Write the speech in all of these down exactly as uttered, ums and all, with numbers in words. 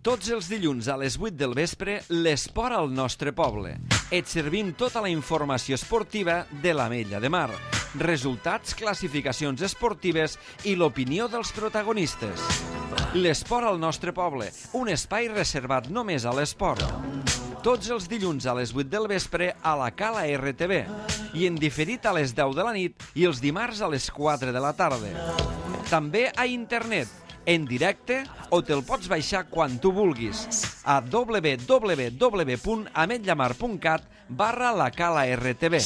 Tots els dilluns a les vuit del vespre, l'esport al nostre poble. Et servim tota la informació esportiva de l'Ametlla de Mar. Resultats, classificacions esportives i l'opinió dels protagonistes. L'esport al nostre poble, un espai reservat només a l'esport. Tots els dilluns a les vuit del vespre a la Cala R T V i en diferit a les deu de la nit i els dimarts a les quatre de la tarda. També a internet, en directe, o te'l pots baixar quan tu vulguis a w w w punt ametllamar punt cat barra la Cala R T V.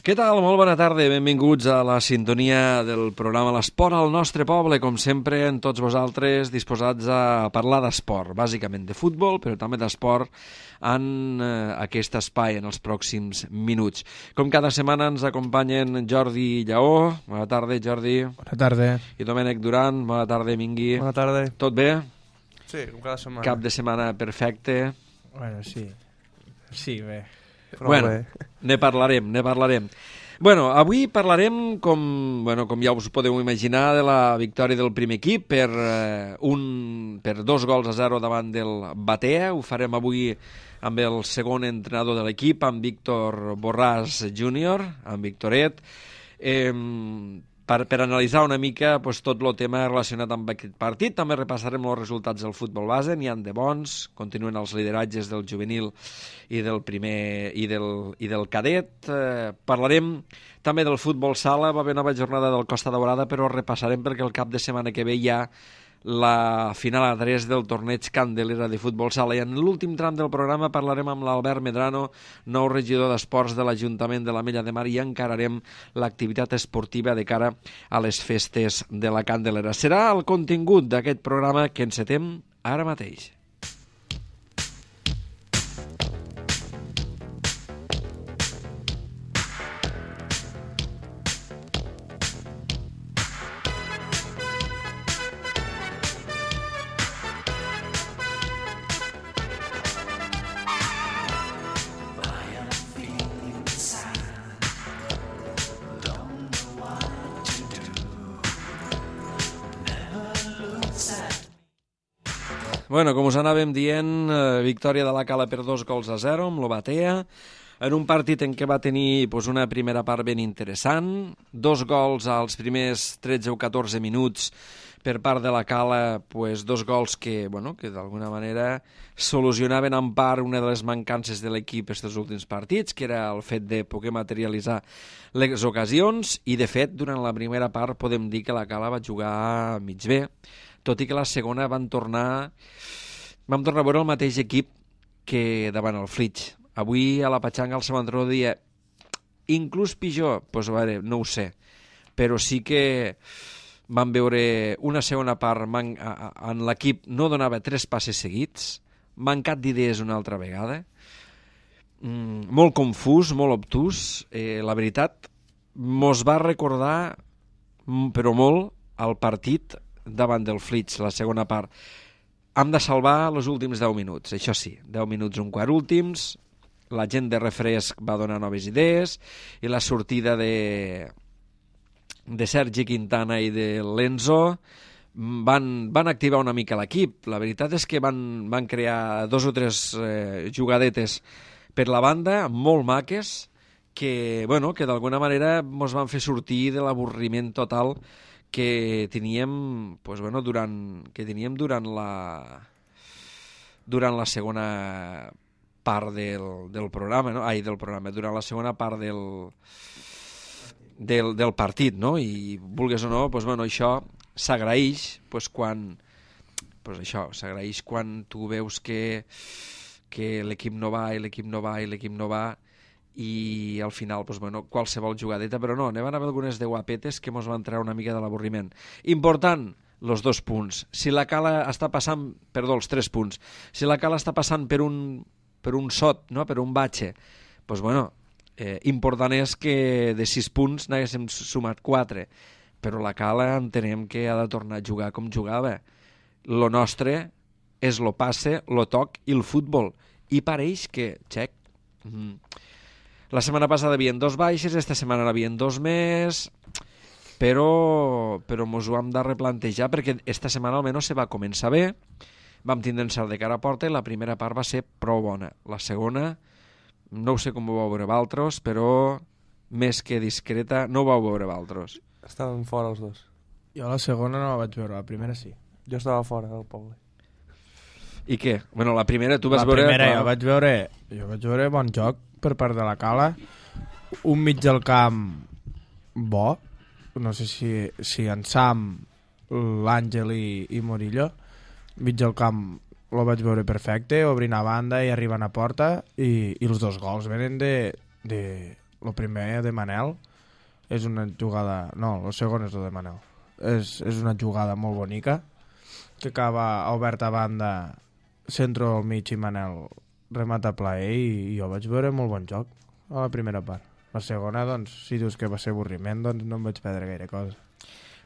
Què tal? Molt bona tarda, benvinguts a la sintonia del programa L'Esport al nostre poble, com sempre, en tots vosaltres disposats a parlar d'esport, bàsicament de futbol, però també d'esport en eh, aquest espai en els pròxims minuts. Com cada setmana ens acompanyen Jordi Lleó. Bona tarda, Jordi. Bona tarda. I Domènec Duran. Bona tarda, Mingui. Bona tarda. Tot bé? Sí, com cada setmana. Cap de setmana perfecte. Bueno, sí. Sí, bé. Però bueno, bé. ne parlarem, ne parlarem. Bueno, avui parlarem, com, bueno, com ja us podeu imaginar, de la victòria del primer equip per, eh, un, per dos gols a zero davant del Batea. Ho farem avui amb el segon entrenador de l'equip, amb Víctor Borràs júnior, amb Victoret, eh, per, per analitzar una mica pues, tot el tema relacionat amb aquest partit. També repassarem els resultats del futbol base, n'hi ha de bons, continuen els lideratges del juvenil i del primer i del, i del cadet. Eh, parlarem també del futbol sala, va haver nova jornada del Costa Daurada, però repassarem perquè el cap de setmana que ve hi ha la final a tres del torneig Candelera de futbol sala. I en l'últim tram del programa parlarem amb l'Albert Medrano, nou regidor d'esports de l'Ajuntament de l'Ametlla de Mar, i encararem l'activitat esportiva de cara a les festes de la Candelera. Serà el contingut d'aquest programa que encetem ara mateix. Bueno, com us anàvem dient, eh, victòria de la Cala per dos gols a zero amb l'Obatea, en un partit en què va tenir pues, una primera part ben interessant, dos gols als primers tretze o catorze minuts per part de la Cala, pues, dos gols que, bueno, que d'alguna manera solucionaven en part una de les mancances de l'equip aquests últims partits, que era el fet de poder materialitzar les ocasions, i de fet, durant la primera part podem dir que la Cala va jugar mig bé, tot i que la segona van tornar vam tornar a veure el mateix equip que davant el Flix. Avui a la Patxanga el seu entrenador deia inclús pitjor, doncs a veure, no ho sé, però sí que vam veure una segona part man, a, a, en l'equip no donava tres passes seguits, mancat d'idees una altra vegada, mm, molt confús, molt obtús, eh, la veritat mos va recordar però molt el partit davant del Flix, la segona part. Hem de salvar els últims deu minuts, això sí, deu minuts un quart últims, la gent de refresc va donar noves idees i la sortida de, de Sergi Quintana i de Lenzo van, van activar una mica l'equip. La veritat és que van, van crear dos o tres eh, jugadetes per la banda, molt maques, que, bueno, que d'alguna manera ens van fer sortir de l'avorriment total que teníem, pues bueno, durant que teníem durant la durant la segona part del, del programa, no? Ai, del programa, durant la segona part del del, del partit, no? I vulgues o no, pues bueno, això s'agraeix, pues quan pues això, s'agraeix quan tu veus que que l'equip no va i l'equip no va i l'equip no va i al final, doncs, bueno, qualsevol jugadeta, però no, n'hi van haver algunes de guapetes que mos van treure una mica de l'avorriment. Important, els dos punts. Si la Cala està passant, perdó, els tres punts, si la Cala està passant per un, per un sot, no? Per un batxe, doncs, bueno, eh, important és que de sis punts n'haguéssim sumat quatre, però la Cala entenem que ha de tornar a jugar com jugava. Lo nostre és lo passe, lo toc i el futbol. I pareix que, xec, mm, la setmana passada hi havia dos baixes, esta setmana n'hi havia dos més. però, però mos ho hem de replantejar perquè esta setmana almenys se va començar bé, vam tindre encert de cara a porta i la primera part va ser prou bona. La segona, no ho sé com ho vau veure vosaltres, però més que discreta, no ho vau veure vosaltres. Estaven fora els dos. Jo la segona no la vaig veure, la primera sí. Jo estava fora del poble. I què? Bueno, la primera tu vas la veure... La primera la... jo vaig veure, jo vaig veure bon joc per part de la Cala, un mig del camp bo, no sé si, si en Sam, l'Àngel i, i Morillo, mig del camp lo vaig veure perfecte, obrint a banda i arribant a porta, i, i els dos gols venen de, de lo primer de Manel, és una jugada, no, el segon és el de Manel, és, és una jugada molt bonica, que acaba obert a banda, centro al mig i Manel remata plaer, i, i jo vaig veure molt bon joc a la primera part. La segona, doncs, si dius que va ser avorriment, doncs no em vaig perdre gaire cosa.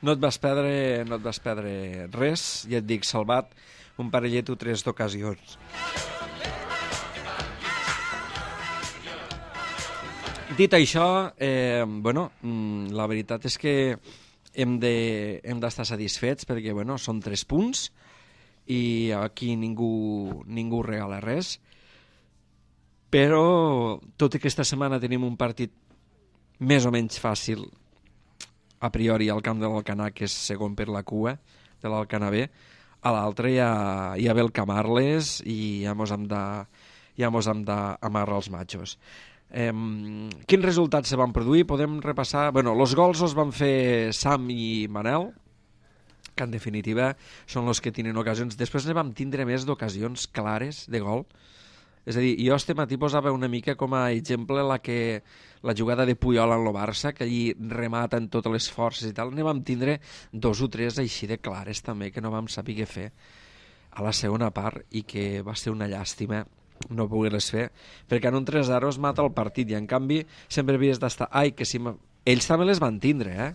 No et vas perdre, no et vas perdre res, ja et dic, salvat un parellet o tres d'ocasions. Dit això, eh, bueno, la veritat és que hem de, hem d'estar satisfets perquè, bueno, són tres punts i aquí ningú, ningú regala res. Però tot i que aquesta setmana tenim un partit més o menys fàcil a priori al camp de l'Alcanar, que és segon per la cua de l'Alcanar B, a l'altre hi ha, hi ha Belcamarles i ja mos hem de, ja mos hem d'amarrar els matxos. Eh, quins resultats se van produir? Podem repassar... Bueno, els gols els van fer Sam i Manel, que en definitiva són els que tenen ocasions. Després ne vam tindre més d'ocasions clares de gol. És a dir, jo este matí posava una mica com a exemple la, que, la jugada de Puyol en el Barça, que allí remata en totes les forces i tal. Ne vam tindre dos o tres així de clares també, que no vam saber què fer a la segona part i que va ser una llàstima no poder-les fer, perquè en un tres zero es mata el partit i en canvi sempre havies d'estar... Ai, que si... Ells també les van tindre, eh?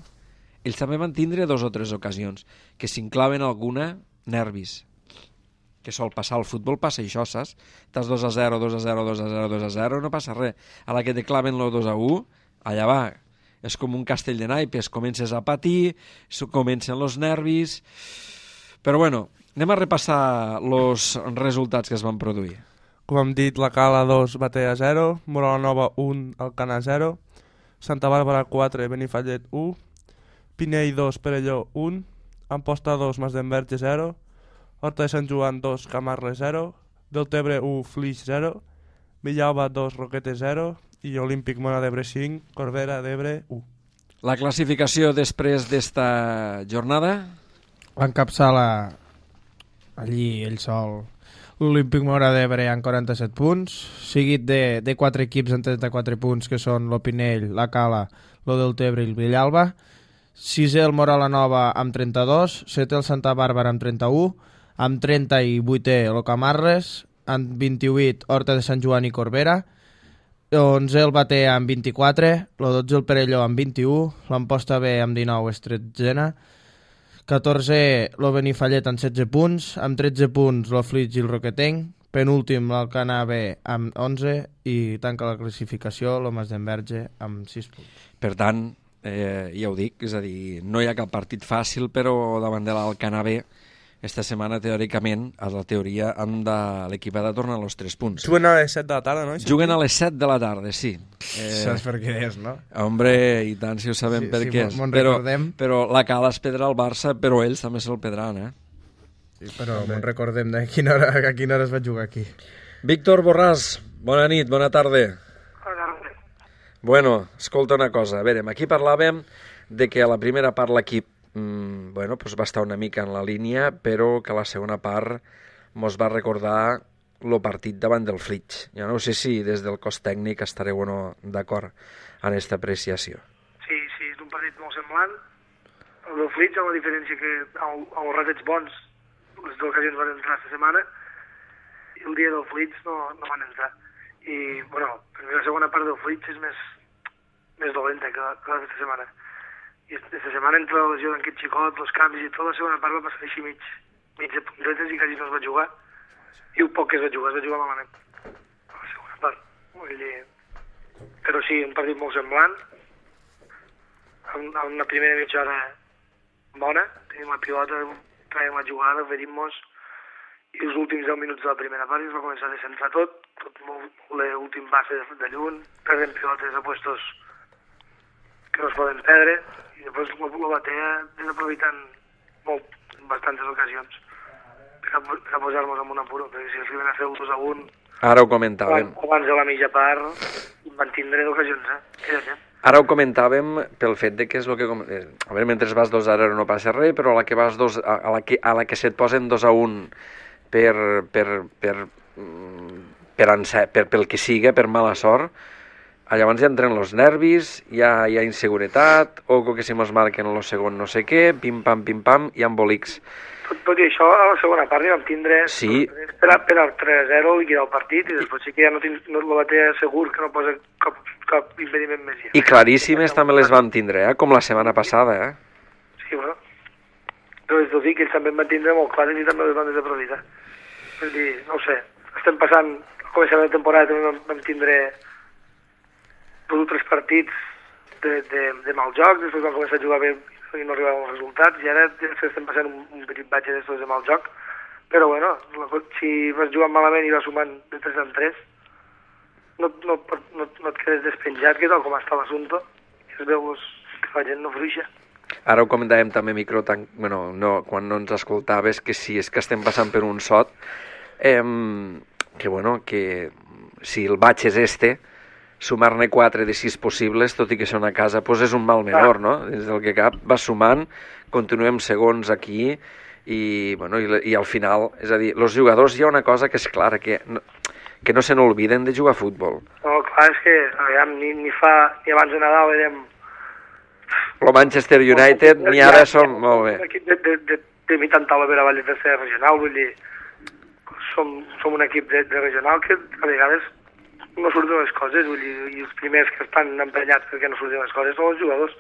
Ells també van tindre dos o tres ocasions, que si en claven alguna, nervis. Que sol passar al futbol, passa això, saps? Estàs dos a zero, dos a zero, dos a zero, dos a zero, no passa res. A la que te claven el dos a u, allà va. És com un castell de naipes, comences a patir, comencen els nervis... Però bueno, anem a repassar els resultats que es van produir. Com hem dit, la Cala dos, Batea zero, Moral Nova un, Alcanar zero, Santa Bàrbara quatre, Benifallet u, Pinell dos, Perelló un, Amposta dos, Masdenverge zero, Horta de Sant Joan dos, Camarles zero, Deltebre u, Flix zero, Villalba dos, Roquetes zero i Olímpic Mona d'Ebre cinc, Corbera d'Ebre u. La classificació després d'esta jornada? L'encapçala allí ell sol l'Olímpic Mora d'Ebre amb quaranta-set punts, seguit de, de quatre equips amb trenta-quatre punts, que són l'Opinell, la Cala, lo Deltebre i el Villalba. Sisè el Moral Nova amb trenta-dos, setè el Santa Bàrbara amb trenta-u, amb trenta i vuitè el Camarles, amb vint-i-vuit Horta de Sant Joan i Corbera, onze el Batea amb vint-i-quatre, el dotze el Perelló amb vint-i-u, l'Amposta B amb dinou és tretzena, catorze el Benifallet amb setze punts, amb tretze punts el Flix i el Roquetenc, penúltim l'Alcanar B amb onze i tanca la classificació el Masdenverge amb sis punts. Per tant, eh, ja ho dic, és a dir, no hi ha cap partit fàcil, però davant de l'Alcanar B esta setmana, teòricament, a la teoria, han de... l'equip ha de tornar als tres punts. Juguen a les set de la tarda, no? Juguen a les set de la tarda, sí. Eh... Saps per què és, no? Hombre, i tant si ho sabem sí, per sí, què és. Però, però la Cala es pedrà al Barça, però ells també se'l pedran, eh? Sí, però me'n recordem de quina hora, a quina hora es va jugar aquí. Víctor Borràs, bona nit, bona tarda. Bona tarda. Bueno, escolta una cosa, a veure, aquí parlàvem de que a la primera part l'equip Mm, bueno, pues va estar una mica en la línia, però que a la segona part mos va recordar el partit davant del Flix. Jo no sé si des del cos tècnic estareu o no d'acord en aquesta apreciació. Sí, sí, és un partit molt semblant. El del Flix, amb la diferència que els ratets bons, les ocasions van entrar aquesta setmana, i el dia del Flix no, no van entrar. I, bueno, la segona part del Flix és més, més dolenta que la, que la d'esta setmana. I aquesta setmana, entre la lesió d'aquest xicot, els canvis i tot, la segona part va passar així mig, mig de puntetes i quasi no es va jugar. I un poc que es va jugar, es va jugar malament. A la segona part. Vull dir... Però sí, un partit molt semblant. en, en una primera mitja hora bona, tenim la pilota, traiem la jugada, oferim-nos, i els últims deu minuts de la primera part es va començar a descentrar tot, tot molt, l'últim base de, de lluny, perdem pilotes a puestos que no es poden perdre, i després la batea desaprofitant molt, en bastantes ocasions, per a, per a posar-nos en un apuro, perquè si els van a fer un dos a un, Ara ho comentàvem. abans de la mitja part, van tindre d'ocasions, eh? Aquella gent. Ara ho comentàvem pel fet de que és el que... Com... eh, A veure, mentre vas dos a zero no passa res, però a la que vas dos, a, a la que, a la que se't posen dos a un per, per, per, mm, per, per, per, pel que siga, per mala sort, llavors ja entren els nervis, hi ha, hi ha inseguretat, o que si mos marquen el segon no sé què, pim-pam, pim-pam, i embolics. Tot, tot i això, a la segona part ja vam tindre Sí. per, per al tres a zero liquidar el partit, i després sí que ja no, tinc, no la batea segur que no posa cap, cap impediment més. Ja. I claríssimes també les vam tindre, eh? Com la setmana passada, eh? Sí, bueno. Però és dir que ells també en van tindre molt clares i també les van desaprofitar. Vull dir, no ho sé, estem passant, al començament de temporada també vam, vam tindre dos o tres partits de, de, de mal joc, després vam començar a jugar bé i no arribaven els resultats, i ara estem passant un, un petit batge d'estos de mal joc, però bueno, si vas jugant malament i vas sumant de tres en tres, no, no, no, no et quedes despenjat, que tal com està l'assumpte, i es veu pues, que la gent no fruixa. Ara ho comentàvem també, micro, tan... bueno, no, quan no ens escoltaves, que si és que estem passant per un sot, eh, que bueno, que si el baix és este, sumar-ne quatre de sis possibles, tot i que són a casa, doncs és un mal menor, no? Des del que cap vas sumant, continuem segons aquí, i, bueno, i, i al final, és a dir, els jugadors hi ha una cosa que és clara, que no, que no se n'olviden de jugar a futbol. No, clar, és que aviam, ni, ni fa, ni abans de Nadal érem... El Manchester United ni ara som molt bé. Un equip de, de, de, de mitjan taula per avall de tercera regional, vull dir, som, som un equip de, de regional que a vegades no surten les coses, vull dir, i els primers que estan emprenyats perquè no surten les coses són els jugadors.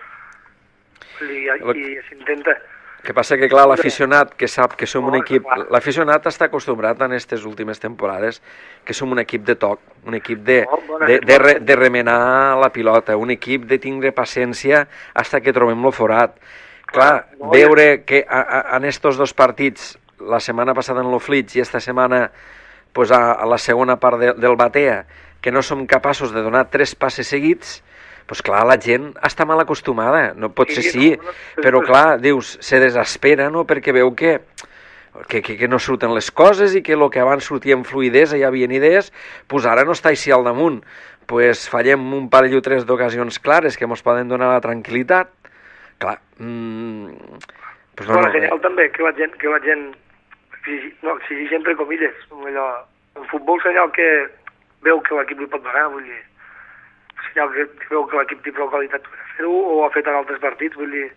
Vull dir, i, i s'intenta. El que passa que, clar, l'aficionat que sap que som un equip... L'aficionat està acostumbrat en aquestes últimes temporades que som un equip de toc, un equip de, de, de, re, de remenar la pilota, un equip de tindre paciència fins que trobem lo forat. Clar, veure que a, a, en estos dos partits, la setmana passada en lo Flits i esta setmana pues, a, a la segona part de, del Batea, que no som capaços de donar tres passes seguits, pues clar, la gent està mal acostumada, no pot ser sí, però clar, dius, se desespera, no?, perquè veu que, que, que, que no surten les coses i que el que abans sortia amb fluïdesa hi havia idees, pues ara no està així al damunt. Pues fallem un parell o tres d'ocasions clares que ens poden donar la tranquil·litat. Clar, mmm, pues no, Bona no, senyal també, que la gent, que la gent exigir, no, exigir entre comilles, allò, en futbol senyal que veu que l'equip li pot donar, vull dir, senyal que, que veu que l'equip té prou qualitat per fer-ho, o ha fet en altres partits, vull dir,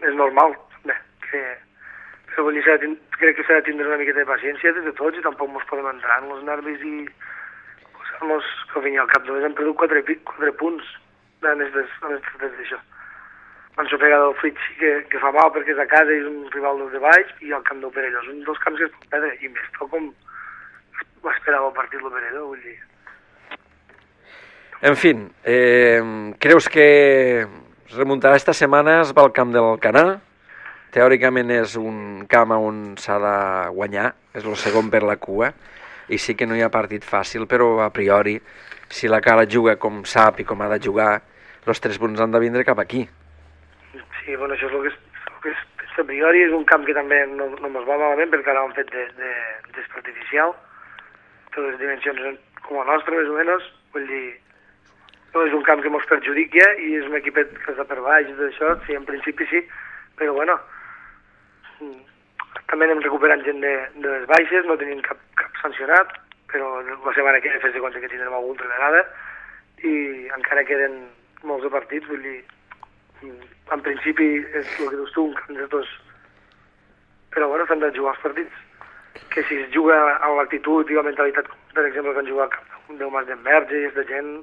és normal, bé, que, però vull dir, de, crec que s'ha de tindre una miqueta de paciència des de tots i tampoc ens podem entrar en els nervis i posar-nos, que al fin i al cap només hem perdut quatre, quatre punts en aquestes d'això. L'ensopega del Flits sí que, que fa mal perquè és a casa i és un rival dels de baix, i el camp del Perelló és un dels camps que es pot perdre, i més tal com esperava el partit del Perelló, vull dir. En fi, eh, creus que es remuntarà esta setmana, es va al camp del Canà? Teòricament és un camp on s'ha de guanyar, és el segon per la cua, i sí que no hi ha partit fàcil, però a priori, si la Cala juga com sap i com ha de jugar, els tres punts han de vindre cap aquí. Sí, bueno, això és el que és, el que és a priori, és un camp que també no, no ens va malament perquè ara ho han fet de, de, d'espa artificial, de les dimensions com la nostra, més o menys, vull dir, no és un camp que ens perjudica i és un equipet que està per baix i tot això, sí, en principi sí, però bueno, també anem recuperant gent de, de les baixes, no tenim cap, cap sancionat, però la setmana que ve fes de compte que tindrem algun altra vegada i encara queden molts de partits, vull dir, en principi és el que dius tu, un camp de tots, però bueno, s'han de jugar els partits, que si es juga amb l'actitud i la mentalitat, per exemple, que han jugat del Mas d'Enverge i de gent,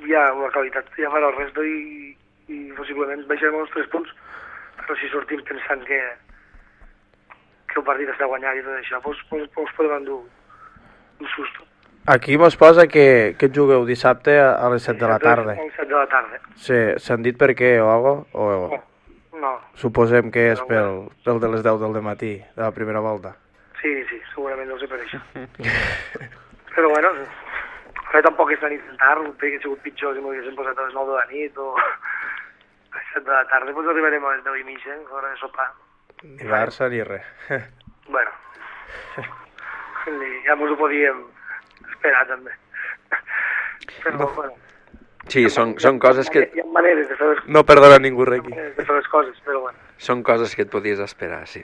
hi ha una qualitat, ja farà el resto i, i possiblement baixarem els tres punts, però si sortim pensant que que el partit està guanyat i tot això, doncs, doncs podem endur un susto. Aquí mos posa que, que jugueu dissabte a, a les set de la tarda. A les set de la tarda. Sí, s'han dit per què o algo? O No, no. suposem que és Però pel, bueno. pel de les deu del matí, de la primera volta. Sí, sí, segurament deu ser per això. Però bueno, ara tampoc és la nit tard, perquè ha sigut pitjor si m'ho haguéssim posat a les nou de la nit o a les set de la tarda, doncs arribarem a les deu i mitja, a l'hora de sopar. Ni Barça ni res. Bueno, ja mos ho podíem esperar també. Però no. Bueno, Sí, són, són coses que... hi ha maneres de fer les, No perdona ningú res aquí. maneres de fer les coses, però bueno. Són coses que et podies esperar, sí.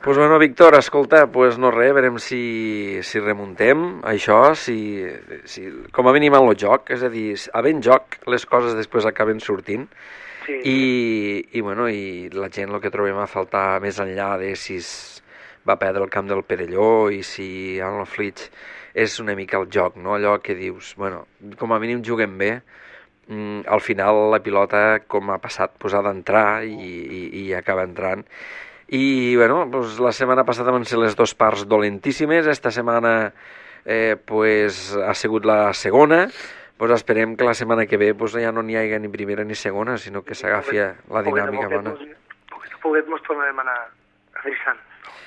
Pues bueno, Víctor, escolta, pues no res, veurem si, si remuntem això, si, si, com a mínim en el joc, és a dir, havent joc, les coses després acaben sortint, Sí. i, i, bueno, i la gent el que trobem a faltar més enllà de si es va perdre el camp del Perelló i si en el Flix és una mica el joc, no? Allò que dius, bueno, com a mínim juguem bé, mm, al final la pilota, com ha passat, pues, ha d'entrar i, i, i acaba entrant. I, bueno, pues, la setmana passada van ser les dues parts dolentíssimes, esta setmana eh, pues, ha sigut la segona, pues esperem que la setmana que ve pues, ja no n'hi hagi ni primera ni segona, sinó que s'agafi la dinàmica bona. Poquet a poquet mos tornarem a anar adreçant.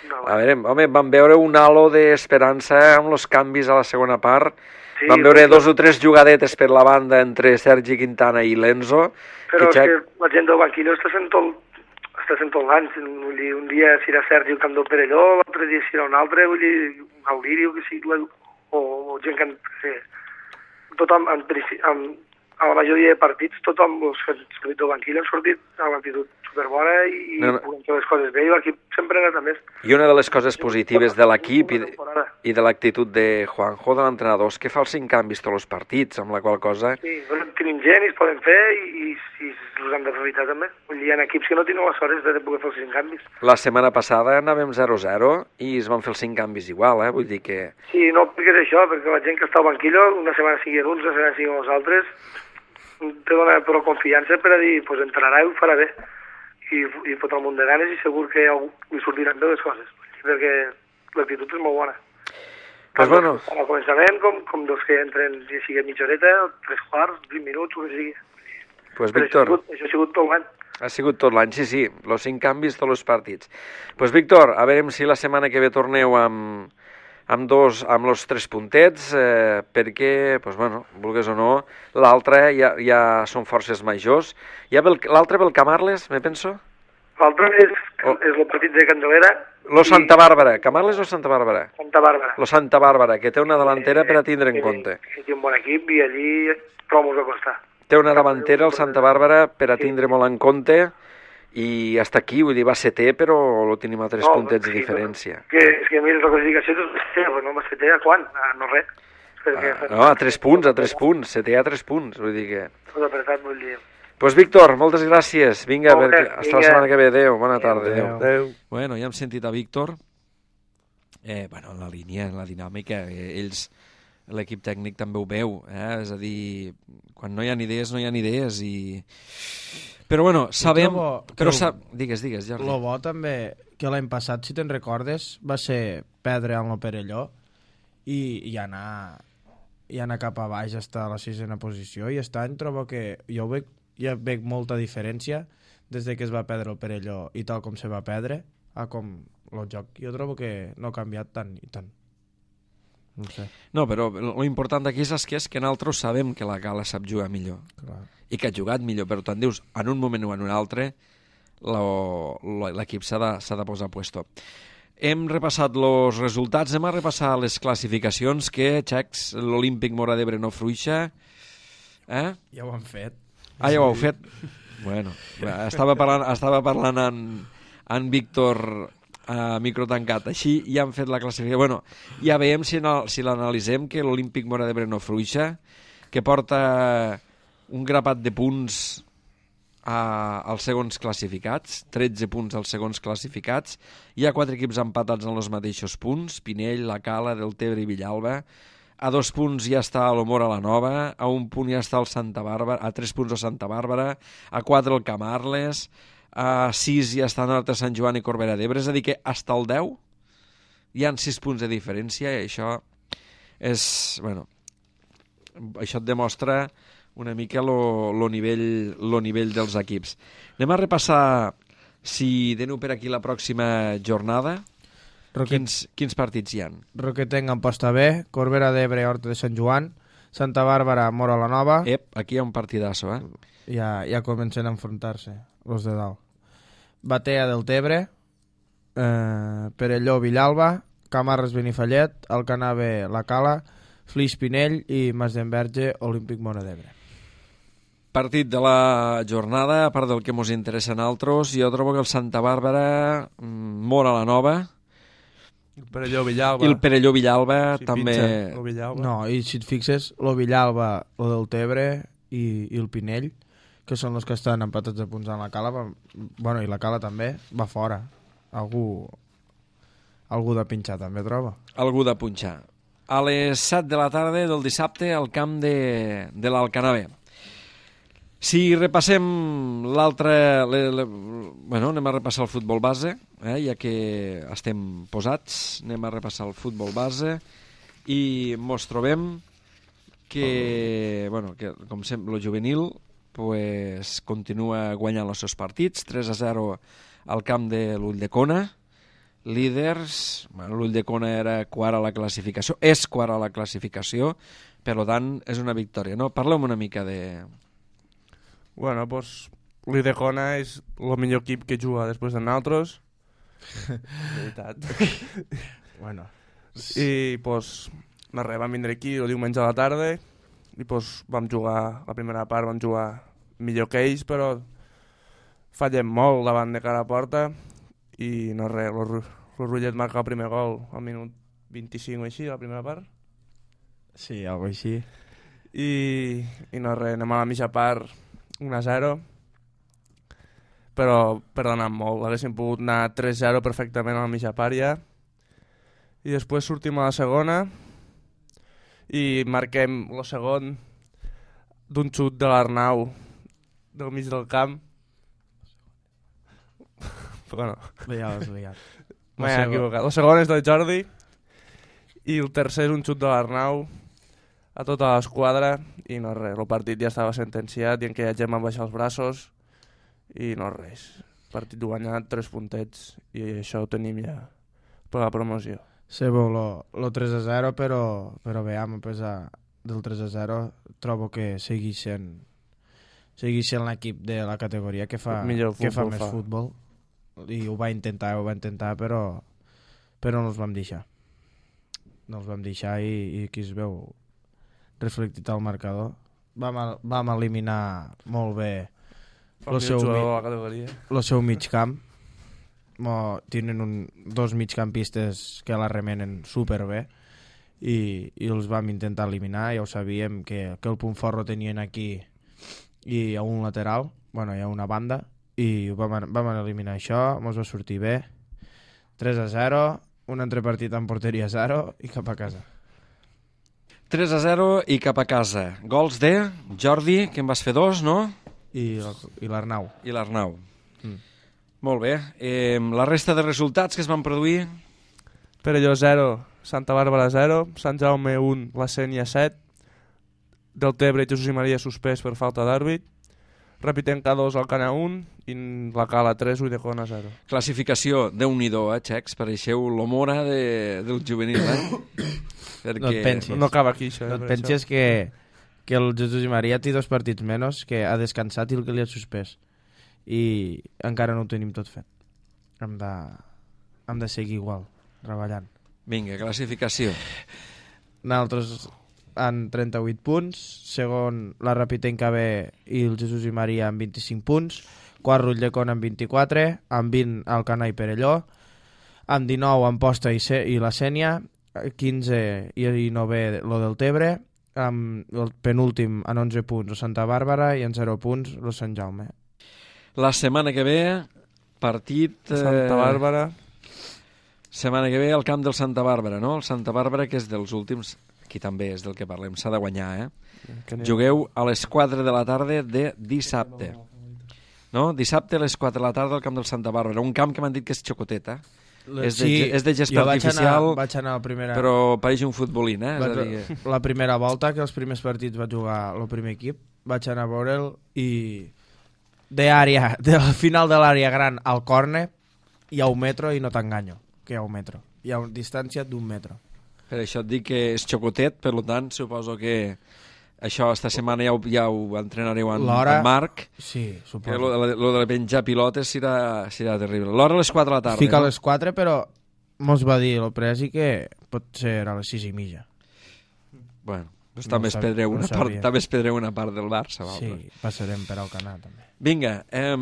No, A veure, home, vam veure un halo d'esperança amb els canvis a la segona part. Sí, Vam veure però- dos o tres jugadetes per la banda entre Sergi Quintana i Lenzo. Però és ja- que la gent del banquillo està sent tot, està sent tot l'any. Vull dir, un dia serà Sergi el camp del Perelló, l'altre dia serà un altre, vull dir, un Gaudiri o que sigui, la- o, o gent que... Sí. Tothom, en, princi- en, a la majoria de partits, tothom, els que han sortit del banquillo han sortit amb l'actitud superbona i, No, no. i puguem fer les coses bé, i l'equip sempre ha anat a més. I una de les coses positives de l'equip i, Una temporada. i de l'actitud de Juanjo, de l'entrenador, és que fa els cinc canvis tots els partits, amb la qual cosa... Sí, bueno, tenim gent i es poden fer i, i, i els han d'aprofitar també. Vull dir, hi ha equips que no tenen les hores de poder fer els cinc canvis. La setmana passada anàvem zero zero i es van fer els cinc canvis igual, eh? Vull dir que... Sí, no, perquè és això, perquè la gent que està al banquillo, una setmana siguin uns, una setmana siguin els altres, te dona prou confiança per a dir, doncs pues, entrarà i ho farà bé. I, i fotrà un munt de ganes i segur que algú li sortiran bé les coses, perquè l'actitud és molt bona. Pues Tant bueno. dels- Al començament, com, com dels que entren, si sigui mitja horeta, tres quarts, vint minuts, o que sigui. Pues, Però Víctor, Això ha sigut, això ha sigut tot l'any. ha sigut tot l'any, sí, sí, els cinc canvis, tots els partits. Pues, Víctor, a veure si la setmana que ve torneu amb, amb dos, amb els tres puntets, eh, perquè, pues, bueno, vulgues o no, l'altre ja, ja són forces majors. Ja ve el- l'altre ve el Camarles, me penso? L'altre és, Oh. és el partit de Candelera. Lo i Santa Bàrbara, Camarles o Santa Bàrbara? Santa Bàrbara. Lo Santa Bàrbara, que té una davantera per a tindre en Que- compte. Que té un bon equip i allí prou mos va costar. Té una davantera el Santa Bàrbara per a tindre molt en compte i hasta aquí, vull dir, va setè, però lo tenim a tres No, puntets de sí, diferència. Que, és que mira, la classificació és però no m'has fet a quan? Ah, no res. Perquè Ah, no, a tres punts, a tres punts, setè a tres punts, vull dir que... Tot apretat, vull dir. Pues Víctor, moltes gràcies. Vinga, Molt bé, perquè... hasta la vinga. setmana que ve. Adéu, bona tarda. Adéu. Adéu. Bueno, ja hem sentit a Víctor. Eh, bueno, en la línia, en la dinàmica, eh, ells, l'equip tècnic també ho veu, eh? És a dir, quan no hi ha idees, no hi ha idees i... Però bueno, sabem... trobo- Però trobo- sap... Digues, digues, Jordi. Lo bo també, que l'any passat, si te'n recordes, va ser perdre amb el Perelló i, i anar i anar cap a baix hasta la sisena posició, i aquest any trobo que jo veig, ja veig molta diferència des de que es va perdre el Perelló i tal com se va perdre a com el joc. Jo trobo que no ha canviat tant i tant. No sé, No, però l'important d'aquí és que és que nosaltres sabem que la Gala sap jugar millor clar. i que ha jugat millor, però te'n dius, en un moment o en un altre, lo- lo- l'equip s'ha de, s'ha de posar a puesto. Hem repassat els resultats, hem a repassar les classificacions, que, xecs, l'Olímpic Móra d'Ebre no fruixa. Eh? Ja ho han fet. Ah, ja ho heu fet? Bueno, estava parlant, estava parlant en, en Víctor a micro tancat. Així ja han fet la classificació. Bueno, ja veiem si, no, si l'analitzem, que l'Olímpic Móra d'Ebre no fruixa, que porta un grapat de punts a, als segons classificats, tretze punts als segons classificats. Hi ha quatre equips empatats en els mateixos punts, Pinell, La Cala, Deltebre i Villalba. A dos punts ja està l'Homora la Nova, a un punt ja està el Santa Bàrbara, a tres punts el Santa Bàrbara, a quatre el Camarles, a sis ja estan Horta Sant Joan i Corbera d'Ebre, és a dir que hasta el deu hi han sis punts de diferència i això és, bueno, això et demostra una mica lo, lo, nivell, lo nivell dels equips. Anem a repassar, si teniu per aquí la pròxima jornada, Roquet... quins, quins partits hi ha. Roquetenc en posta B, Corbera d'Ebre, Horta de Sant Joan, Santa Bàrbara, Mora la Nova. Ep, aquí hi ha un partidasso, eh? Ja, ja comencen a enfrontar-se, els de dalt. Batea del Tebre, eh, Perelló, Villalba, Camarres, Benifallet, Alcanar B, La Cala, Flix, Pinell i Mas d'Enverge, Olímpic Mora d'Ebre. Partit de la jornada, a part del que ens interessa a nosaltres, jo trobo que el Santa Bàrbara, Mora la Nova, El Perelló Villalba. i el Perelló Villalba Si també... pinxa, o Villalba. No, i si et fixes, lo Villalba, lo del Tebre i, i el Pinell, que són els que estan empatats a punts en la Cala, va, bueno, i la Cala també, va fora. Algú, algú de pinxar també troba. Algú de punxar. A les set de la tarda del dissabte al camp de, de l'Alcanar B. Si repassem l'altre... Le, le, bueno, anem a repassar el futbol base, eh, ja que estem posats, anem a repassar el futbol base i mos trobem que, bueno, que com sempre, el juvenil pues, continua guanyant els seus partits, tres a zero al camp de l'Ulldecona, líders, bueno, l'Ulldecona era quart a la classificació, és quart a la classificació, per tant és una victòria, no? Parlem una mica de... Bueno, doncs, l'Ulldecona és el millor equip que juga després de nosaltres. De veritat. Bueno. I, doncs, no res, vam vindre aquí el diumenge a la tarda i, doncs, vam jugar, la primera part vam jugar millor que ells, però fallem molt davant de cara a porta i no res, el Rullet marca el primer gol al minut vint-i-cinc o així, la primera part. Sí, algo així. I, i no res, anem a la mitja part un a zero, però perdonant molt, haguéssim pogut anar tres zero perfectament a la mitja part ja, i després sortim a la segona i marquem el segon d'un xut de l'Arnau del mig del camp. Bueno, Ja l'has liat. m'he equivocat. El segon és del Jordi i el tercer és un xut de l'Arnau a tota l'esquadra i no res, el partit ja estava sentenciat i en aquella gent van baixar els braços i no res, partit guanyat, tres puntets i això ho tenim ja per la promoció. Sí, bo, lo, lo tres a zero, però, però bé, a pesar del tres a zero trobo que segueix sent segueix sent l'equip de la categoria que fa, Millor que fa futbol més fa. futbol i ho va intentar, ho va intentar però, però no els vam deixar no els vam deixar i, i aquí es veu reflectit al marcador. Vam, a- vam eliminar molt bé Fa Lo el seu millor jugador mi- de la categoria. el seu mig camp. Mo, tenen un, dos migcampistes que la remenen superbé i, i els vam intentar eliminar, ja ho sabíem que, que el punt fort ho tenien aquí i a un lateral, bueno, hi ha una banda i vam, vam eliminar això, mos va sortir bé, tres a zero, un entrepartit en porteria zero i cap a casa. tres a zero i cap a casa. Gols de Jordi, que en vas fer dos, no? I, i l'Arnau. I l'Arnau. Mm. Molt bé. Eh, la resta de resultats que es van produir... Perelló zero, Santa Bàrbara zero, Sant Jaume un, la Sénia set, del Tebre Jesús i Maria suspès per falta d'àrbit, Rapitenca dos, Alcanar un i la Cala tres, Ulldecona zero. Classificació, Déu-n'hi-do, eh, Xecs? Pareixeu l'Omora de, del juvenil, eh? Perquè... No et pensis. No acaba aquí, això. Eh, No et per penses això. que, que el Jesús i Maria té dos partits menys, que ha descansat i el que li ha suspès. I encara no ho tenim tot fet. Hem de, hem de seguir igual, treballant. Vinga, classificació. Nosaltres en trenta-vuit punts, segon la Rapitenca B i el Jesús i Maria amb vint-i-cinc punts, quart Ulldecona amb vint-i-quatre, amb vint Alcanar i Perelló, amb dinou Amposta i, C i la Sénia, quinze i, i novè lo del Tebre, amb el penúltim en onze punts el Santa Bàrbara i en zero punts el Sant Jaume. La setmana que ve, partit... Eh, Santa Bàrbara. Setmana que ve al camp del Santa Bàrbara, no? El Santa Bàrbara, que és dels últims... Aquí també és del que parlem, s'ha de guanyar, eh? Que n'hi ha- Jugueu a les quatre de la tarda de dissabte. No? Dissabte a les quatre de la tarda al camp del Santa Bàrbara. Un camp que m'han dit que és xocotet, eh? És de, és de gespa jo vaig artificial, anar, vaig anar a la primera... però pareix un futbolín, eh? És a dir... La primera volta, que els primers partits va jugar el primer equip, vaig anar a veure'l i de àrea, del final de l'àrea gran al córner hi ha un metro i no t'enganyo, que hi ha un metro. Hi ha una distància d'un metro. Per això et dic que és xocotet, per tant, suposo que això esta setmana ja ho, ja ho entrenareu en, en Marc. Sí, suposo. Que lo, lo de penjar pilotes serà, serà terrible. L'hora a les quatre de la tarda. Fica no? a les quatre, però mos va dir el presi que pot ser a les sis i mitja. Bueno, doncs No també, sab- espedreu no una part, sabia. també espedreu una part del Barça. Sí, Val? passarem per al canal, també. Vinga, eh,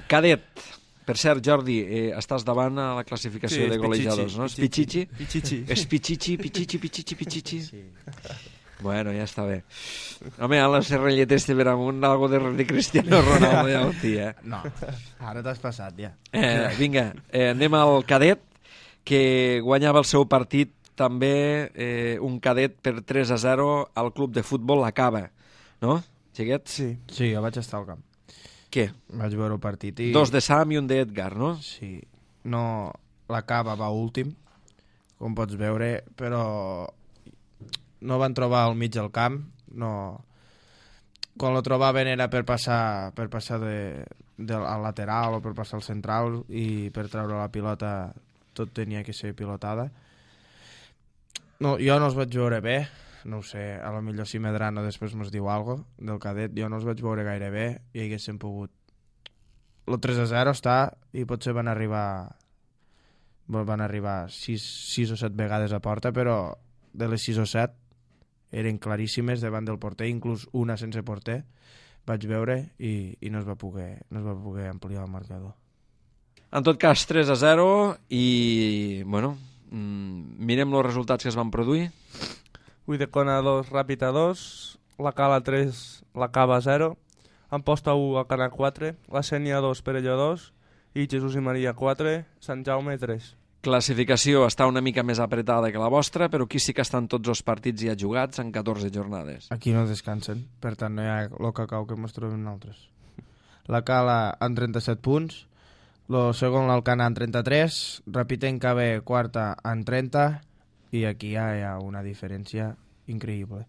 cadet. Per cert, Jordi, eh, estàs davant a la classificació Sí, de és golejadors, no? És Pichichi? Pichichi. És Pichichi, Pichichi, Pichichi, Pichichi. Sí. Bueno, ja està bé. Home, a la serrelleta este per amunt, algo de, de Cristiano Ronaldo, ja ho té, eh? No, ara t'has passat, ja. eh vinga, eh, anem al cadet, que guanyava el seu partit també eh, un cadet per tres a zero al club de futbol La Cava, no, xiquet? Sí. Sí, jo vaig estar al camp. Què? Vaig veure el partit i... Dos de Sam i un d'Edgar, no? Sí, no... La Cava va últim, com pots veure, però no van trobar al mig del camp, no... Quan lo trobaven era per passar, per passar de, de, al lateral o per passar al central i per treure la pilota tot tenia que ser pilotada. No, jo no els vaig veure bé, no ho sé, a lo millor si Medrano després mos diu alguna cosa del cadet, jo no els vaig veure gaire bé i haguéssim pogut... El tres a zero està i potser van arribar van arribar sis o set vegades a porta, però de les sis o set eren claríssimes davant del porter, inclús una sense porter vaig veure i, i no es va poder no es va poder ampliar el marcador. En tot cas, tres a zero i, bueno, mmm, mirem els resultats que es van produir. Uidecona dos, Ràpid a dos, la Cala tres, la Cava zero, Amposta u, Alcanar quatre, la Sénia dos, Perelló dos i Jesús i Maria quatre, Sant Jaume tres. Classificació està una mica més apretada que la vostra, però aquí sí que estan tots els partits ja jugats en catorze jornades. Aquí no descansen, per tant no hi ha el cacau que ens trobem nosaltres. La Cala en trenta-set punts, el segon l'Alcanar en trenta-tres, Rapitenca B quarta en trenta i aquí ja hi ha una diferència increïble.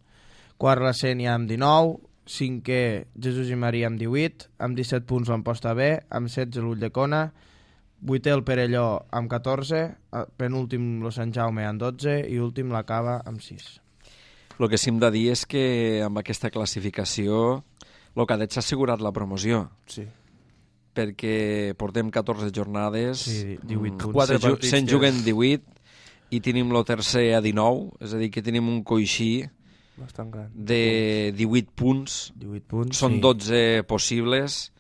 Quart la Sénia amb dinou, cinquè Jesús i Maria amb divuit, amb disset punts l'Amposta B, amb setze l'Ulldecona, vuitè el Perelló amb catorze, penúltim el Sant Jaume amb dotze i últim la Cava amb sis. El que sí hem de dir és que amb aquesta classificació el cadet s'ha assegurat la promoció. Sí. Perquè portem catorze jornades, Sí, divuit punts. Quatre se, ju partits se'n que- juguen divuit i tenim el tercer a dinou, és a dir, que tenim un coixí Bastant gran. de divuit punts, divuit punts, són sí. dotze possibles,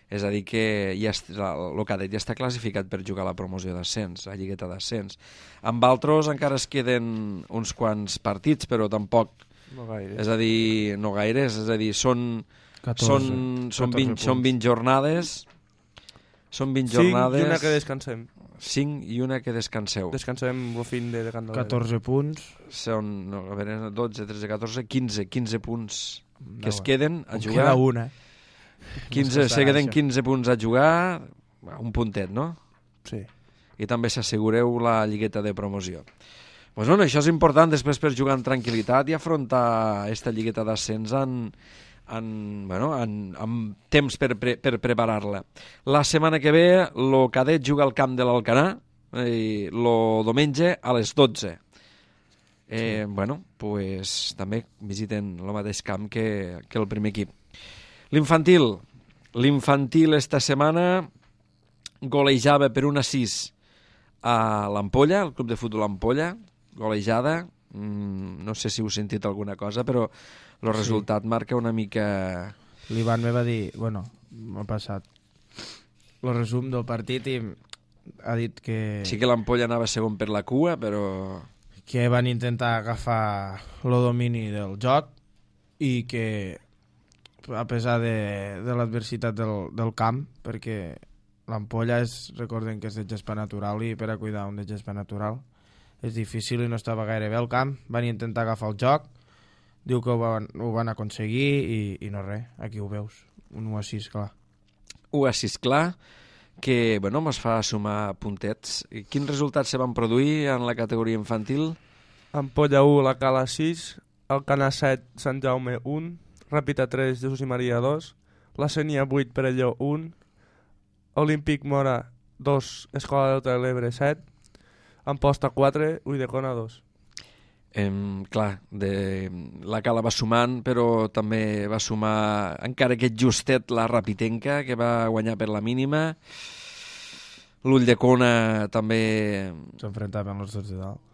és a dir que ja el cadet ja està classificat per jugar a la promoció d'ascens, a lligueta d'ascens. Amb altres encara es queden uns quants partits, però tampoc, No gaire. és a dir, no gaires, és a dir, són, catorze, són, són, vint, catorze són punts. vint jornades, són vint Cinc jornades, i una que descansem. cinc i una que descanseu. Descansem el fin de, de Candelera. catorze punts. Són, no, a veure, dotze, tretze, catorze, quinze, quinze punts que es No, queden a em jugar. Queda una. quinze, No se queden això. quinze punts a jugar, un puntet, no? Sí. I també s'assegureu la lligueta de promoció. Pues bueno, això és important després per jugar en tranquil·litat i afrontar aquesta lligueta d'ascens en, en, bueno, en, en temps per, pre, per preparar-la. La setmana que ve el cadet juga al camp de l'Alcanar i el diumenge a les dotze. Eh, sí. Bueno, pues també visiten el mateix camp que, que el primer equip. L'infantil. L'infantil esta setmana golejava per un a sis a l'Ampolla, el club de futbol Ampolla, golejada. Mm, no sé si heu sentit alguna cosa, però el resultat sí. marca una mica... L'Ivan me va dir, bueno, m'ha passat el resum del partit i ha dit que... Sí que l'Ampolla anava segon per la cua, però... que van intentar agafar el domini del joc i que a pesar de, de l'adversitat del, del camp, perquè l'Ampolla és, recorden que és de gespa natural i per a cuidar un de gespa natural és difícil i no estava gaire bé al camp, van intentar agafar el joc, diu que ho van, ho van aconseguir i, i no res, aquí ho veus, un u a sis, clar. u a sis, clar, que, bueno, mos fa sumar puntets. I quins resultats se van produir en la categoria infantil? Ampolla u, la Cala sis, Alcanar set, Sant Jaume un, Ràpita tres, Jesús i Maria dos, la Sénia vuit, Perelló un, Olímpic Mora dos, Escola Delta de l'Ebre set, Amposta quatre, Ulldecona dos. Em, clar, de, la Cala va sumant, però també va sumar, encara que justet, la Rapitenca, que va guanyar per la mínima. L'Ulldecona també... S'enfrontaven els dos de dalt.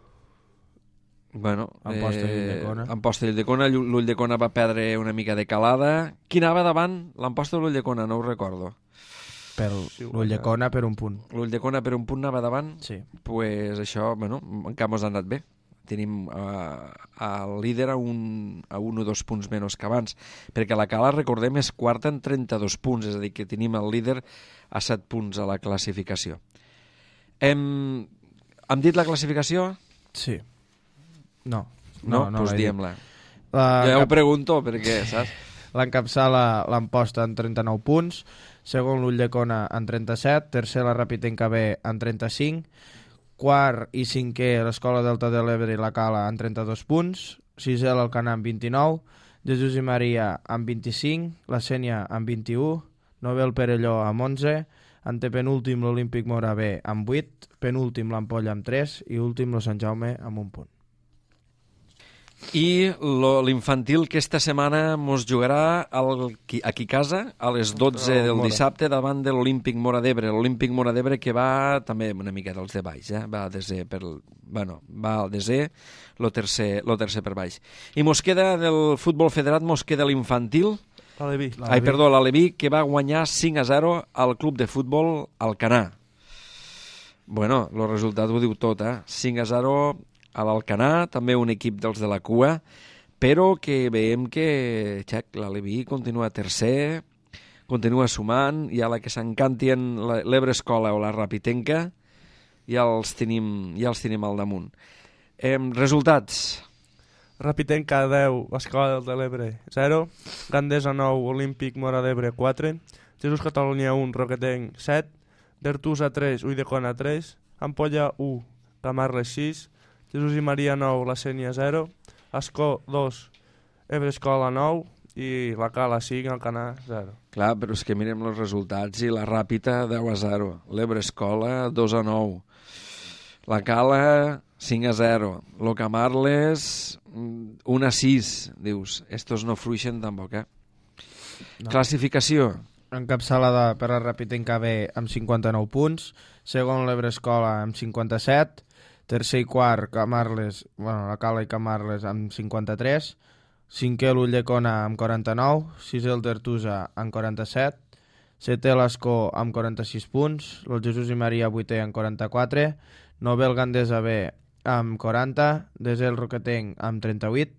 Bueno, Amposta i Ulldecona. Amposta i Ulldecona. L'Ulldecona va perdre una mica de calada. Qui anava davant? L'Amposta o l'Ulldecona? No ho recordo. Per l'Ulldecona per un punt. L'Ulldecona per un punt anava davant? Sí. Pues això, bueno, encara mos ha anat bé. Tenim uh, el líder a un, a un o dos punts menys que abans, perquè la Cala, recordem, és quarta en trenta-dos punts, és a dir, que tenim el líder a set punts a la classificació. Hem, hem dit la classificació? Sí. No. No? No, no Doncs l'he dit. diem-la. La, Jo ho pregunto perquè, saps? L'encapçala l'Amposta en trenta-nou punts, segon l'Ulldecona en trenta-set, tercer la Rapitenca B en trenta-cinc, quart i cinquè l'Escola Delta de l'Ebre i la Cala en trenta-dos punts, sisè l'Alcanar amb vint-i-nou, Jesús i Maria amb vint-i-cinc, la Sénia amb vint-i-u, novè el Perelló amb onze, antepenúltim l'Olímpic Mora B amb vuit, penúltim l'Ampolla amb tres i últim el Sant Jaume amb un punt. I lo- l'infantil que esta setmana mos jugarà al, aquí a casa a les dotze Contra el del Mora. dissabte davant de l'Olímpic Mora d'Ebre. L'Olímpic Mora d'Ebre que va també una mica dels de baix, eh? va, a desè per, bueno, va al desè, lo tercer, lo tercer per baix. I mos queda del futbol federat, mos queda l'infantil, Aleví. ai, perdó, l'Aleví, que va guanyar cinc a zero al club de futbol Alcanar. Bueno, el resultat ho diu tot, eh? cinc a zero a l'Alcanar, també un equip dels de la cua, però que veiem que xec, l'Aleví continua tercer, continua sumant, i a la que s'encantien l'Ebre Escola o la Rapitenca, ja els tenim, ja els tenim al damunt. Eh, resultats. Rapitenca deu, Escola Delta de l'Ebre zero, Gandesa nou, Olímpic Mora d'Ebre quatre, Jesús Catalunya un, Roquetenc set, Dertusa tres, Ulldecona tres, Ampolla u, Camarles sis, Jesús i Maria nou, la Sénia zero, Ascó dos, Ebre Escola nou i la Cala cinc, Alcanar zero. Clar, però és que mirem els resultats i la Ràpita deu a zero, l'Ebre Escola dos a nou, la Cala cinc a zero, lo Camarles un a sis, dius, estos no fruixen tampoc, eh? No. Classificació. Encapçalada per la Rapitenca B amb cinquanta-nou punts, segon l'Ebre Escola amb cinquanta-set, tercer i quart Camarles, bueno, la Cala i Camarles amb cinquanta-tres, cinquè l'Ulldecona amb quaranta-nou, sisè el Dertusa amb quaranta-set, setè l'Ascó amb quaranta-sis punts, el Jesús i Maria vuitè amb quaranta-quatre, novè el Gandesa B amb quaranta, desè el Roquetenc amb trenta-vuit,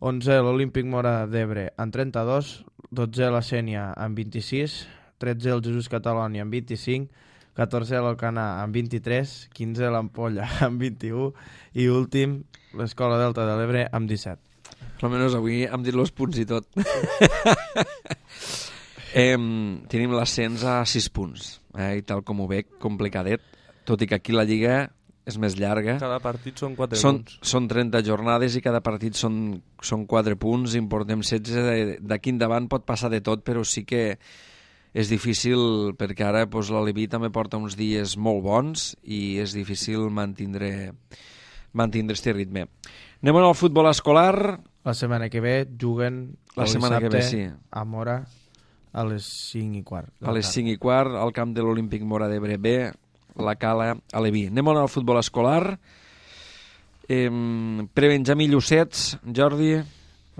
onzè l'Olímpic Mora d'Ebre amb trenta-dos, dotzè la Sénia amb vint-i-sis, tretzè el Jesús Catalunya amb vint-i-cinc, catorzè l'Alcanar amb vint-i-tres, quinzè l'Ampolla amb vint-i-u i últim l'Escola Delta de l'Ebre amb disset. Almenys avui hem dit els punts i tot. eh, tenim l'ascens a sis punts, eh, i tal com ho veig, complicadet, tot i que aquí la Lliga és més llarga. Cada partit són quatre Són, punts. són trenta jornades i cada partit són, són quatre punts, en portem setze, d'aquí endavant pot passar de tot, però sí que és difícil perquè ara doncs, l'Aleví també porta uns dies molt bons i és difícil mantindre, mantindre este ritme. Anem al futbol escolar. La setmana que ve juguen La el setmana que ve, sí. a Mora a les cinc i quart. A les cinc i quart, al camp de l'Olímpic Mora d'Ebre B, la Cala Aleví. Anem al futbol escolar. Eh, Prebenjamí Llucets, Jordi,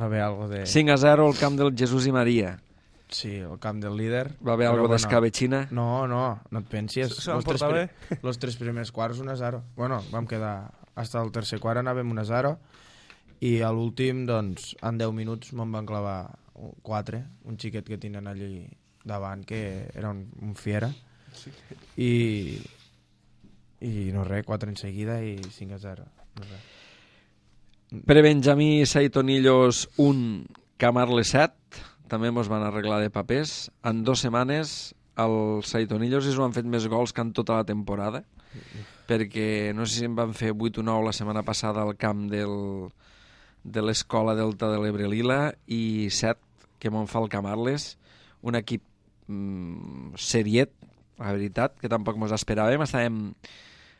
Va haver algo de... cinc a zero al camp del Jesús i Maria. Sí, el camp del líder. Va haver Però algo bueno, d'escabetxina? No, no, no et pensis. Se van Los tres portar bé? pri- Los tres primers quarts un a zero. Bueno, vam quedar... Hasta el tercer quart anàvem un a zero i a l'últim, doncs, en deu minuts me'n van clavar quatre, un xiquet que tenen allí davant, que era un, un fiera. I... I no res, quatre en seguida i cinc a zero. No res. Prebenjamí Saitonillos un, Camarles set, també mos van arreglar de papers. En dues setmanes els Saitonillos i s'ho han fet més gols que en tota la temporada, perquè no sé si en van fer vuit o nou la setmana passada al camp del, de l'Escola Delta de l'Ebre Lila i set que m'on fa el Camarles, un equip mm, seriet, la veritat, que tampoc mos esperàvem. Estàvem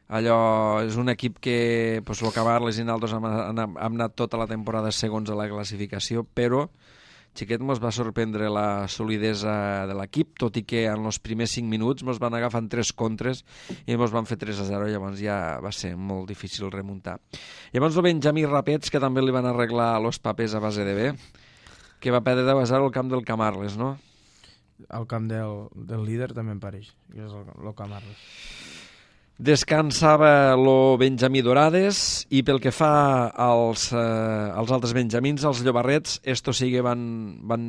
allò, és un equip que pues, el Camarles i nosaltres hem, hem, hem anat tota la temporada segons a la classificació, però xiquet mos va sorprendre la solidesa de l'equip, tot i que en els primers cinc minuts mos van agafant tres contres i mos van fer tres a zero, llavors ja va ser molt difícil remuntar. Llavors el Benjamí Rapets, que també li van arreglar los papers a base de bé, que va perdre deu a zero al camp del Camarles, no? Al camp del, del líder també em pareix, que és el, el Camarles. Descansava lo Benjamí Dorades i pel que fa als, eh, als altres benjamins, els llobarrets, esto sí que van, van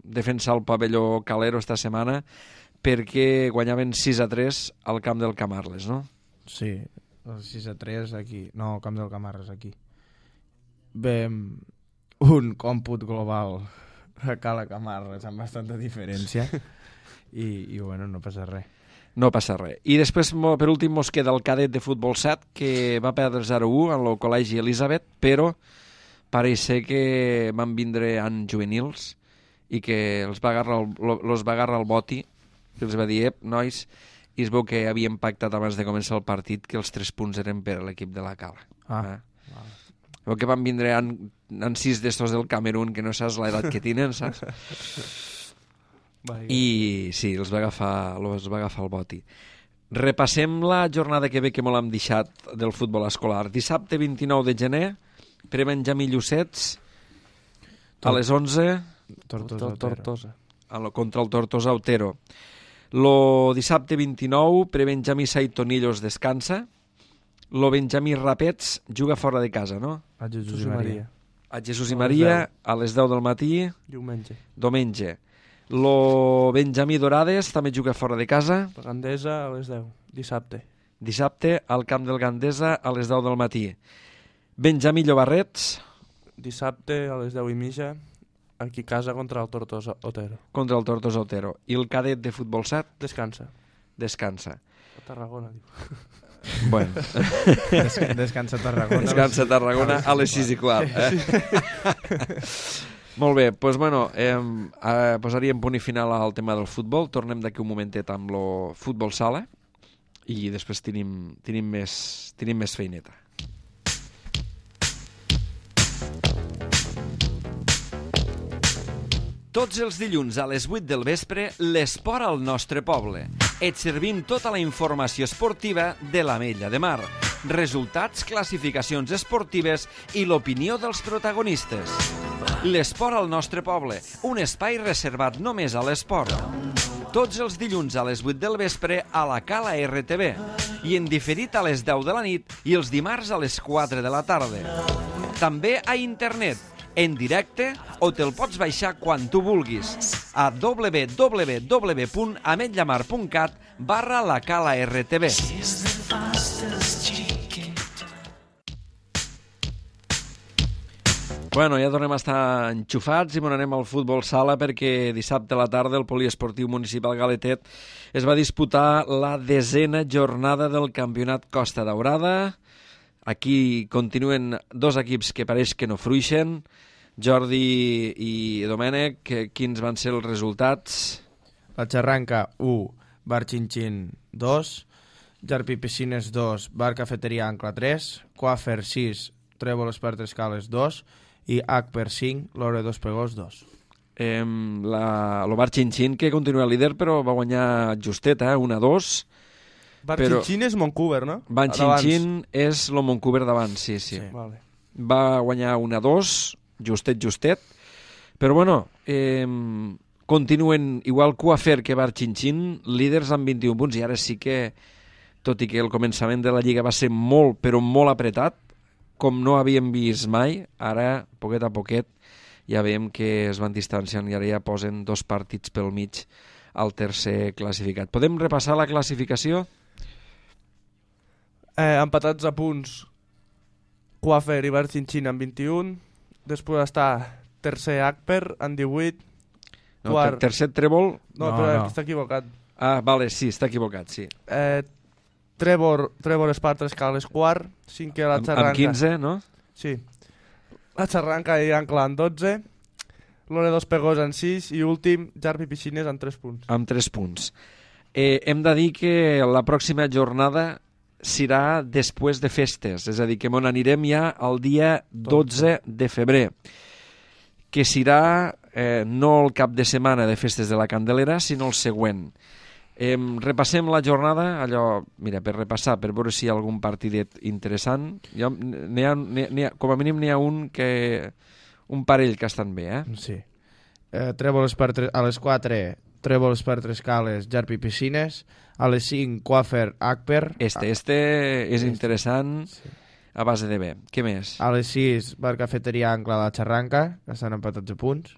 defensar el pavelló Calero esta setmana perquè guanyaven sis a tres al camp del Camarles, no? Sí, el sis a tres aquí, no, al camp del Camarles aquí. Bé, un còmput global a Cala Camarles amb bastanta diferència i, i bueno, no passa res. No passa res. I després, per últim, mos queda el cadet de futbol set, que va perdre zero a u en el col·legi Elisabet, però pareix ser que van vindre en juvenils i que els va agarrar el, los va agarrar el boti, que els va dir, ep, nois, i es veu que havien pactat abans de començar el partit que els tres punts eren per a l'equip de la Cala. Ah, eh? vale. Veu que van vindre en, en sis d'estos del Camerún, que no saps l'edat que tenen, saps? I sí, els va agafar, els va agafar el boti. Repassem la jornada que ve que molt hem deixat del futbol escolar. Dissabte vint-i-nou de gener, pre-Benjamí Llucets, a les onze, Tortosa, Tortosa. a lo, contra el Tortosa Otero. Lo dissabte vint-i-nou, pre-Benjamí Saitonillos descansa. Lo Benjamí Rapets juga fora de casa, no? A Jesús Jesús i i Maria. Maria. A Jesús i Maria, a les deu del matí, Diumenge. diumenge. Lo Benjamí Dorades també juga fora de casa. La Gandesa a les deu. Dissabte. Dissabte al camp del Gandesa a les deu del matí. Benjamí Llobarrets Dissabte a les deu i mitja. Aquí a casa contra el Tortosa Otero. contra el Tortosa Otero. I el cadet de futbol set Descansa. descansa. A Tarragona, diu. Bueno, Des descansa a Tarragona. descansa a Tarragona a les sis i quart. Eh? Molt bé, doncs bueno, eh, eh, posaríem punt i final al tema del futbol. Tornem d'aquí un momentet amb el futbol sala i després tenim, tenim, més, tenim més feineta. Tots els dilluns a les vuit del vespre, l'esport al nostre poble. Et servim tota la informació esportiva de l'Ametlla de Mar. Resultats, classificacions esportives i l'opinió dels protagonistes. L'esport al nostre poble, un espai reservat només a l'esport. Tots els dilluns a les vuit del vespre a la Cala R T V i en diferit a les deu de la nit i els dimarts a les quatre de la tarda. També a internet, en directe o te'l pots baixar quan tu vulguis a w w w punt ametllamar punt cat barra la Cala R T V. Bueno, ja tornem a estar enxufats i anem al futbol sala perquè dissabte a la tarda el Poliesportiu Municipal Galetet es va disputar la desena jornada del Campionat Costa Daurada. Aquí continuen dos equips que pareix que no fruixen. Jordi i Domènec, quins van ser els resultats? La Xarranca, u, Bar Xinxin, dos, Jarpi Piscines, dos, Bar Cafeteria Ancla, tres, Coafer, sis, Trèvol Espartes Cales, dos, i H per cinc, Lore dos Pegós, dos. Eh, la, el Bar Xinxin, que continua líder, però va guanyar justet, eh? un a dos. Bar Però- Xinxin és Moncouver, no? Bar D'abans. Xinxin és el Moncouver d'abans, sí, sí. Sí. Vale. Va guanyar un a dos, justet, justet. Però bueno, eh, continuen igual Coafer que Bar Xinxin, líders amb vint-i-un punts, i ara sí que, tot i que el començament de la Lliga va ser molt, però molt apretat, com no havíem vist mai, ara, poquet a poquet, ja veiem que es van distanciant i ara ja posen dos partits pel mig al tercer classificat. Podem repassar la classificació? Eh, empatats a punts Coafer i Bar Xinxin amb vint-i-un. Després està tercer Acper amb divuit. No, Quart. ter tercer trèvol, No, No, però no. aquí està equivocat. Ah, vale, sí, està equivocat, sí. Eh, Trevor, Trevor Espartres Cales quart, cinquè la Amb, Xarranca. amb quinze, no? Sí. La Xarranca i Ancla en dotze, Loredos Pegós en sis i últim, Jarpi Piscines en tres punts. Amb tres punts. Eh, hem de dir que la pròxima jornada serà després de festes, és a dir, que on anirem ja el dia dotze de febrer, que serà eh, no el cap de setmana de festes de la Candelera, sinó el següent. Eh, repassem la jornada, allò, mira, per repassar, per veure si hi ha algun partidet interessant. Jo, n'hi ha, n'hi ha, com a mínim n'hi ha un que... un parell que estan bé, eh? Sí. Eh, Trèvols per tres, a les quatre, Trèvols per tres cales, Jarpi Piscines. A les cinc, Quafer Akper. Este, este és interessant, sí, a base de bé. Què més? A les sis, Bar Cafeteria Ancla la Xarranca, que estan empatats a punts.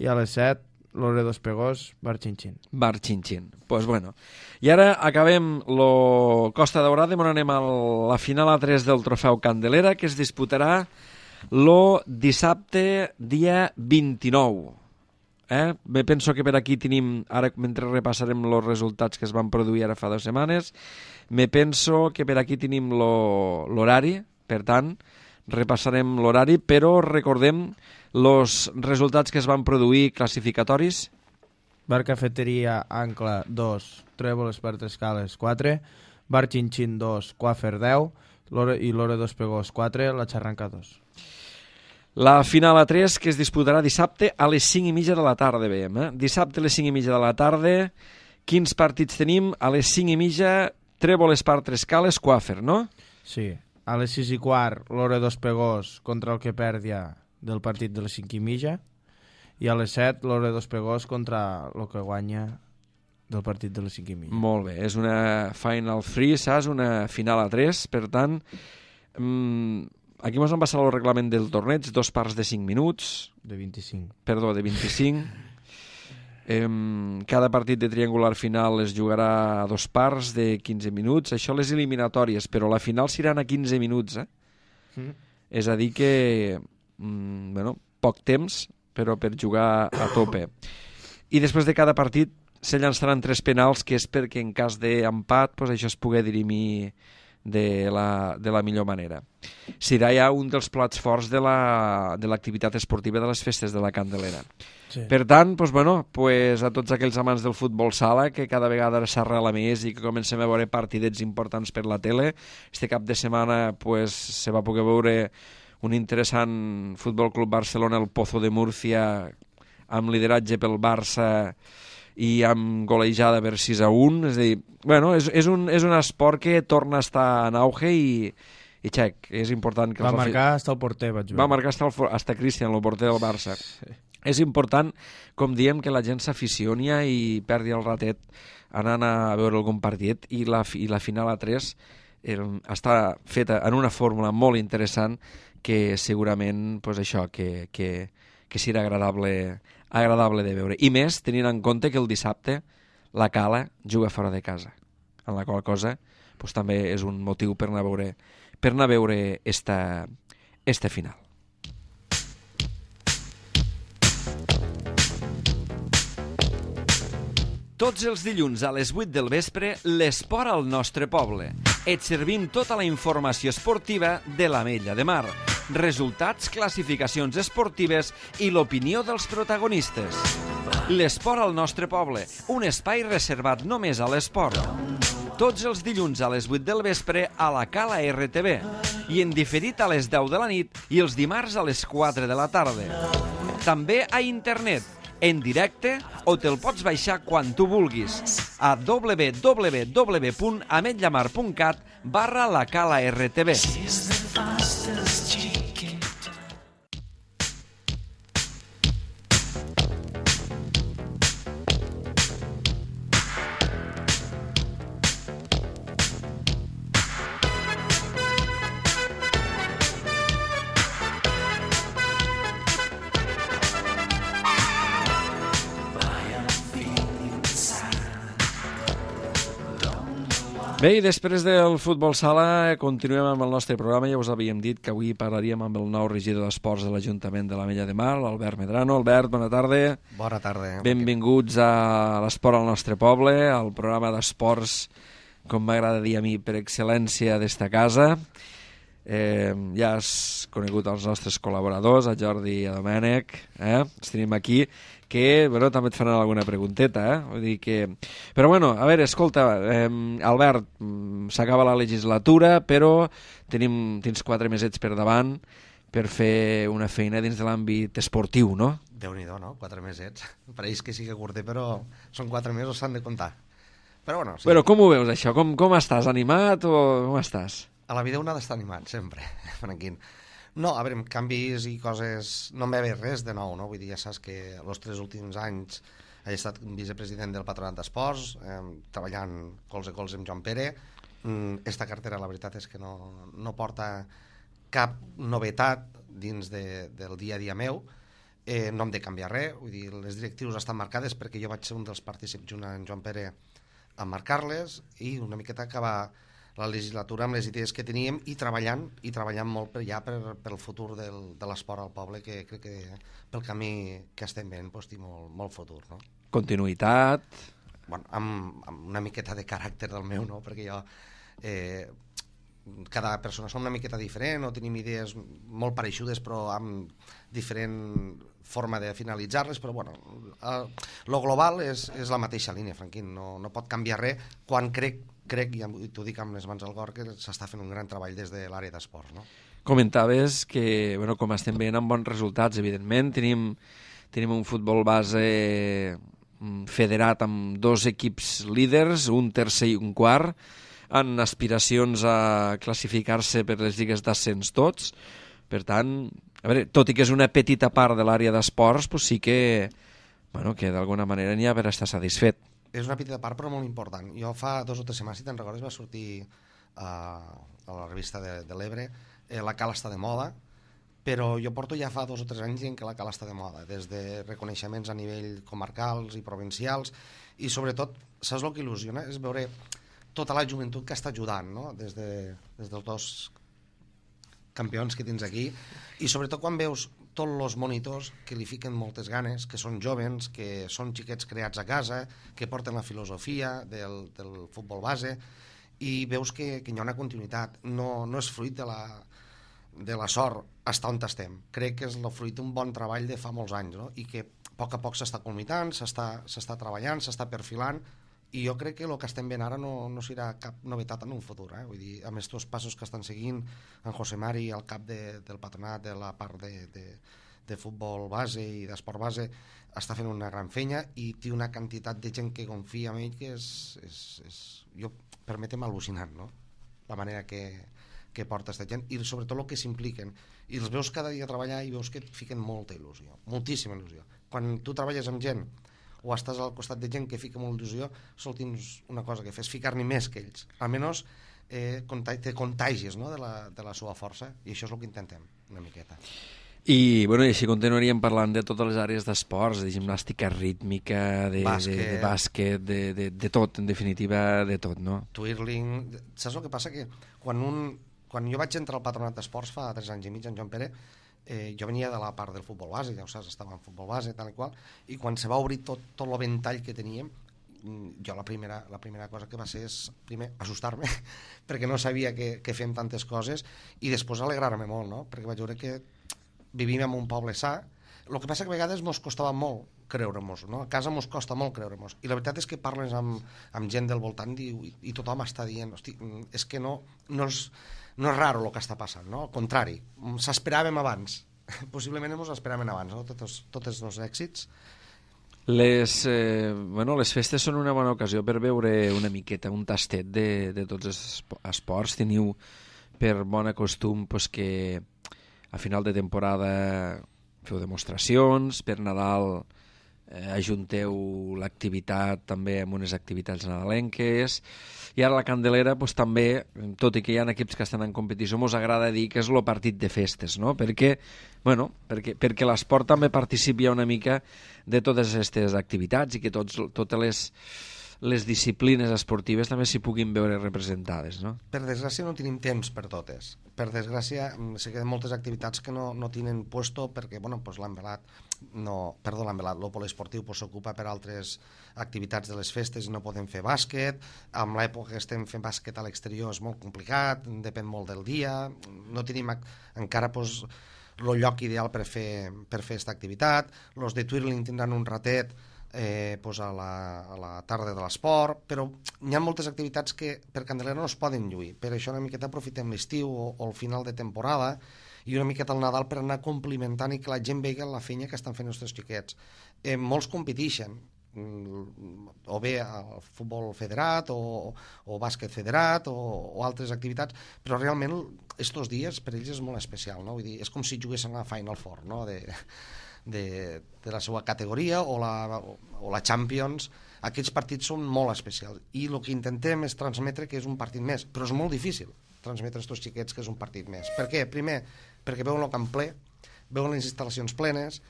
I a les set, Loredos Pegós, Bar Xinxin. Bar Xinxin. Pues bueno. I ara acabem lo Costa Daurada, on anem a la final a tres del trofeu Candelera, que es disputarà lo dissabte dia vint-i-nou. Eh? Me penso que per aquí tenim, ara mentre repassarem els resultats que es van produir ara fa dues setmanes, me penso que per aquí tenim l'horari, per tant, repassarem l'horari, però recordem els resultats que es van produir classificatoris. Bar Cafeteria Ancla dos, Trèvols per tres cales quatre, Bar Xinxin dos, Quafer deu Lore, i Loredos Pegós quatre, la Xarranca dos. La final a tres que es disputarà dissabte a les cinc i mitja de la tarda, veiem. Eh? Dissabte a les cinc i mitja de la tarda, quins partits tenim? A les cinc i mitja, Trèvols per tres cales, Quafer, no? Sí. A les sis i quart, Loredos Pegós contra el que perdia del partit de les cinc i mitja. I a les set, Loredos Pegós contra el que guanya del partit de les cinc i mitja. Molt bé, és una Final three, saps? Una final a tres, per tant... Mmm, aquí ens han passat el reglament del torneig, dos parts de cinc minuts. De vint-i-cinc. Perdó, de vint-i-cinc. eh, cada partit de triangular final es jugarà a dos parts de quinze minuts. Això les eliminatòries, però la final seran a quinze minuts. Eh? Mm. És a dir que, mm, bueno, poc temps, però per jugar a tope. I després de cada partit se llançaran tres penals, que és perquè en cas d'empat pues, això es pugui dirimir de la, de la millor manera. Serà ja un dels plats forts de l'activitat la, esportiva de les festes de la Candelera. Sí. Per tant, pues, bueno, pues, a tots aquells amants del futbol sala, que cada vegada s'arrela més i que comencem a veure partidets importants per la tele, este cap de setmana pues, se va poder veure un interessant Futbol Club Barcelona, el Pozo de Múrcia, amb lideratge pel Barça i amb golejada per sis a un. És a dir, bueno, és, és, un, és un esport que torna a estar en auge i, i xec, és important que... Va marcar hasta el porter, vaig veure. Va marcar hasta, el, hasta Cristian, el porter del Barça. Sí. És important, com diem, que la gent s'aficioni i perdi el ratet anant a veure algun partit, i la, i la final a tres eh, està feta en una fórmula molt interessant que segurament, pues això, que, que, que serà agradable, agradable de veure. I més, tenint en compte que el dissabte la Cala juga fora de casa, en la qual cosa pues, també és un motiu per anar a veure, per anar a veure esta, esta final. Tots els dilluns a les vuit del vespre, l'esport al nostre poble. Et servim tota la informació esportiva de l'Ametlla de Mar, resultats, classificacions esportives i l'opinió dels protagonistes. L'esport al nostre poble, un espai reservat només a l'esport. Tots els dilluns a les vuit del vespre a la Cala R T V i en diferit a les deu de la nit i els dimarts a les quatre de la tarda. També a internet, en directe, o te'l pots baixar quan tu vulguis a w w w punt ametllamar punt cat barra la Cala R T V. Bé, i després del futbol sala continuem amb el nostre programa. Ja us havíem dit que avui parlaríem amb el nou regidor d'Esports de l'Ajuntament de l'Ametlla de Mar, l'Albert Medrano. Albert, bona tarda. Bona tarda. Benvinguts a l'Esport al nostre poble, al programa d'esports, com m'agrada dir a mi, per excel·lència d'esta casa. Eh, ja has conegut els nostres col·laboradors, a Jordi i a Domènec, eh? Els tenim aquí, que bueno, també et faran alguna pregunteta, eh? Vull dir que... Però bueno, a veure, escolta, eh, Albert, s'acaba la legislatura, però tenim, tens quatre mesets per davant per fer una feina dins de l'àmbit esportiu, no? Déu-n'hi-do, no? Quatre mesets. Pareix que sí que curter, però són quatre mesos, s'han de comptar. Però bueno, sí. Però com ho veus, això? Com, com estàs? Animat o com estàs? A la vida un ha d'estar animat, sempre, Franquín. No, a veure, canvis i coses... No em ve res de nou, no? Vull dir, ja saps que els tres últims anys he estat vicepresident del Patronat d'Esports, eh, treballant colze a colze amb Joan Pere. Mm, esta cartera, la veritat és que no, no porta cap novetat dins de, del dia a dia meu. Eh, no hem de canviar res, vull dir, les directrius estan marcades perquè jo vaig ser un dels partícips junt amb Joan Pere a marcar-les i una miqueta acabar la legislatura amb les idees que teníem i treballant i treballant molt per ja per, per el futur del, de l'esport al poble, que crec que pel camí que estem veient doncs, té molt, molt futur, no? Continuïtat. Bueno, amb, amb una miqueta de caràcter del meu, no? Perquè jo eh, cada persona som una miqueta diferent o tenim idees molt pareixudes però amb diferent forma de finalitzar-les, però bueno, eh, lo global és, és la mateixa línia, Franquín, no, no pot canviar res quan crec crec, i t'ho dic amb les mans al cor, que s'està fent un gran treball des de l'àrea d'esports, no? Comentaves que, bueno, com estem veient amb bons resultats, evidentment, tenim, tenim un futbol base federat amb dos equips líders, un tercer i un quart, amb aspiracions a classificar-se per les lligues d'ascens tots. Per tant, a veure, tot i que és una petita part de l'àrea d'esports, doncs sí que, bueno, que d'alguna manera n'hi ha per estar satisfet. És una petita part però molt important. Jo fa dos o tres setmanes, si te'n recordes, va sortir uh, a la revista de, de l'Ebre eh, la Cala està de moda, però jo porto ja fa dos o tres anys dient que la Cala està de moda, des de reconeixements a nivell comarcals i provincials, i sobretot, saps el que il·lusiona? És veure tota la joventut que està ajudant, no? Des, de, des dels dos campions que tens aquí, i sobretot quan veus tots els monitors que li fiquen moltes ganes, que són jovens, que són xiquets creats a casa, que porten la filosofia del, del futbol base, i veus que, que hi ha una continuïtat. No, no és fruit de la, de la sort estar on estem. Crec que és el fruit d'un bon treball de fa molts anys, no? I que a poc a poc s'està culminant, s'està treballant, s'està perfilant, i jo crec que el que estem veient ara no, no serà cap novetat en un futur, eh? Vull dir, amb aquests passos que estan seguint en José Mari al cap de, del patronat de la part de, de, de futbol base i d'esport base, està fent una gran feina i té una quantitat de gent que confia en ell que és, és, és jo, permetem, al·lucinant, no? La manera que, que porta aquesta gent i sobretot el que s'impliquen, i els veus cada dia treballar i veus que et fiquen molta il·lusió, moltíssima il·lusió. Quan tu treballes amb gent o estàs al costat de gent que fica molt il·lusió, sol tens una cosa que fes, ficar-n'hi més que ells. Almenys eh, te contagies, no? de, la, de la seva força, i això és el que intentem, una miqueta. I, bueno, i així continuaríem parlant de totes les àrees d'esports, de gimnàstica rítmica, de bàsquet, de, de, bàsquet de, de, de tot, en definitiva, de tot, no? Twirling... Saps el que passa? Que quan, un, quan jo vaig entrar al Patronat d'Esports fa tres anys i mig, en Joan Pere, Eh, jo venia de la part del futbol base, ja ho saps, estava en futbol base, tal i qual, i quan se va obrir tot, tot el ventall que teníem, jo la primera, la primera cosa que va ser és, primer, assustar-me, perquè no sabia que, que fem tantes coses, i després alegrar-me molt, no? Perquè vaig veure que vivim en un poble sa, el que passa que a vegades mos costava molt creure-mos, no? A casa mos costa molt creure-mos, i la veritat és que parles amb, amb gent del voltant i, i tothom està dient, hosti, és que no, no és... No és raro el que està passant, no? Al contrari, s'esperàvem abans. Possiblement ens esperàvem abans, no? Tots, tots els èxits. Les, eh, bueno, les festes són una bona ocasió per veure una miqueta, un tastet de, de tots els esports. Teniu per bon costum pues, que a final de temporada feu demostracions, per Nadal eh, ajunteu l'activitat també amb unes activitats nadalenques, i ara la Candelera pues, també, tot i que hi ha equips que estan en competició, ens agrada dir que és el partit de festes, no? Perquè, bueno, perquè, perquè l'esport també participi una mica de totes aquestes activitats i que tots, totes les les disciplines esportives també s'hi puguin veure representades, no? Per desgràcia no tenim temps per totes. Per desgràcia se queden moltes activitats que no, no tenen puesto perquè, bueno, pues l'envelat, no, perdó, l'envelat, el poliesportiu pues, s'ocupa per altres activitats de les festes i no podem fer bàsquet. Amb l'època que estem fent bàsquet a l'exterior és molt complicat, depèn molt del dia, no tenim encara pues, el lloc ideal per fer per fer aquesta activitat. Els de Twirling tindran un ratet Eh, pues a, la, a la tarda de l'esport, però hi ha moltes activitats que per Candelera no es poden lluir, per això una miqueta aprofitem l'estiu o, o el final de temporada i una miqueta el Nadal per anar complimentant i que la gent vegi la feina que estan fent els nostres xiquets. Eh, molts competeixen, o bé al futbol federat o, o bàsquet federat o, o altres activitats, però realment estos dies per ells és molt especial, no? Vull dir, és com si juguessin a la Final Four, no? de, de, de la seva categoria o la, o la Champions. Aquests partits són molt especials i el que intentem és transmetre que és un partit més, però és molt difícil transmetre a aquests xiquets que és un partit més. Per què? Primer, perquè veuen el camp ple, veuen les instal·lacions plenes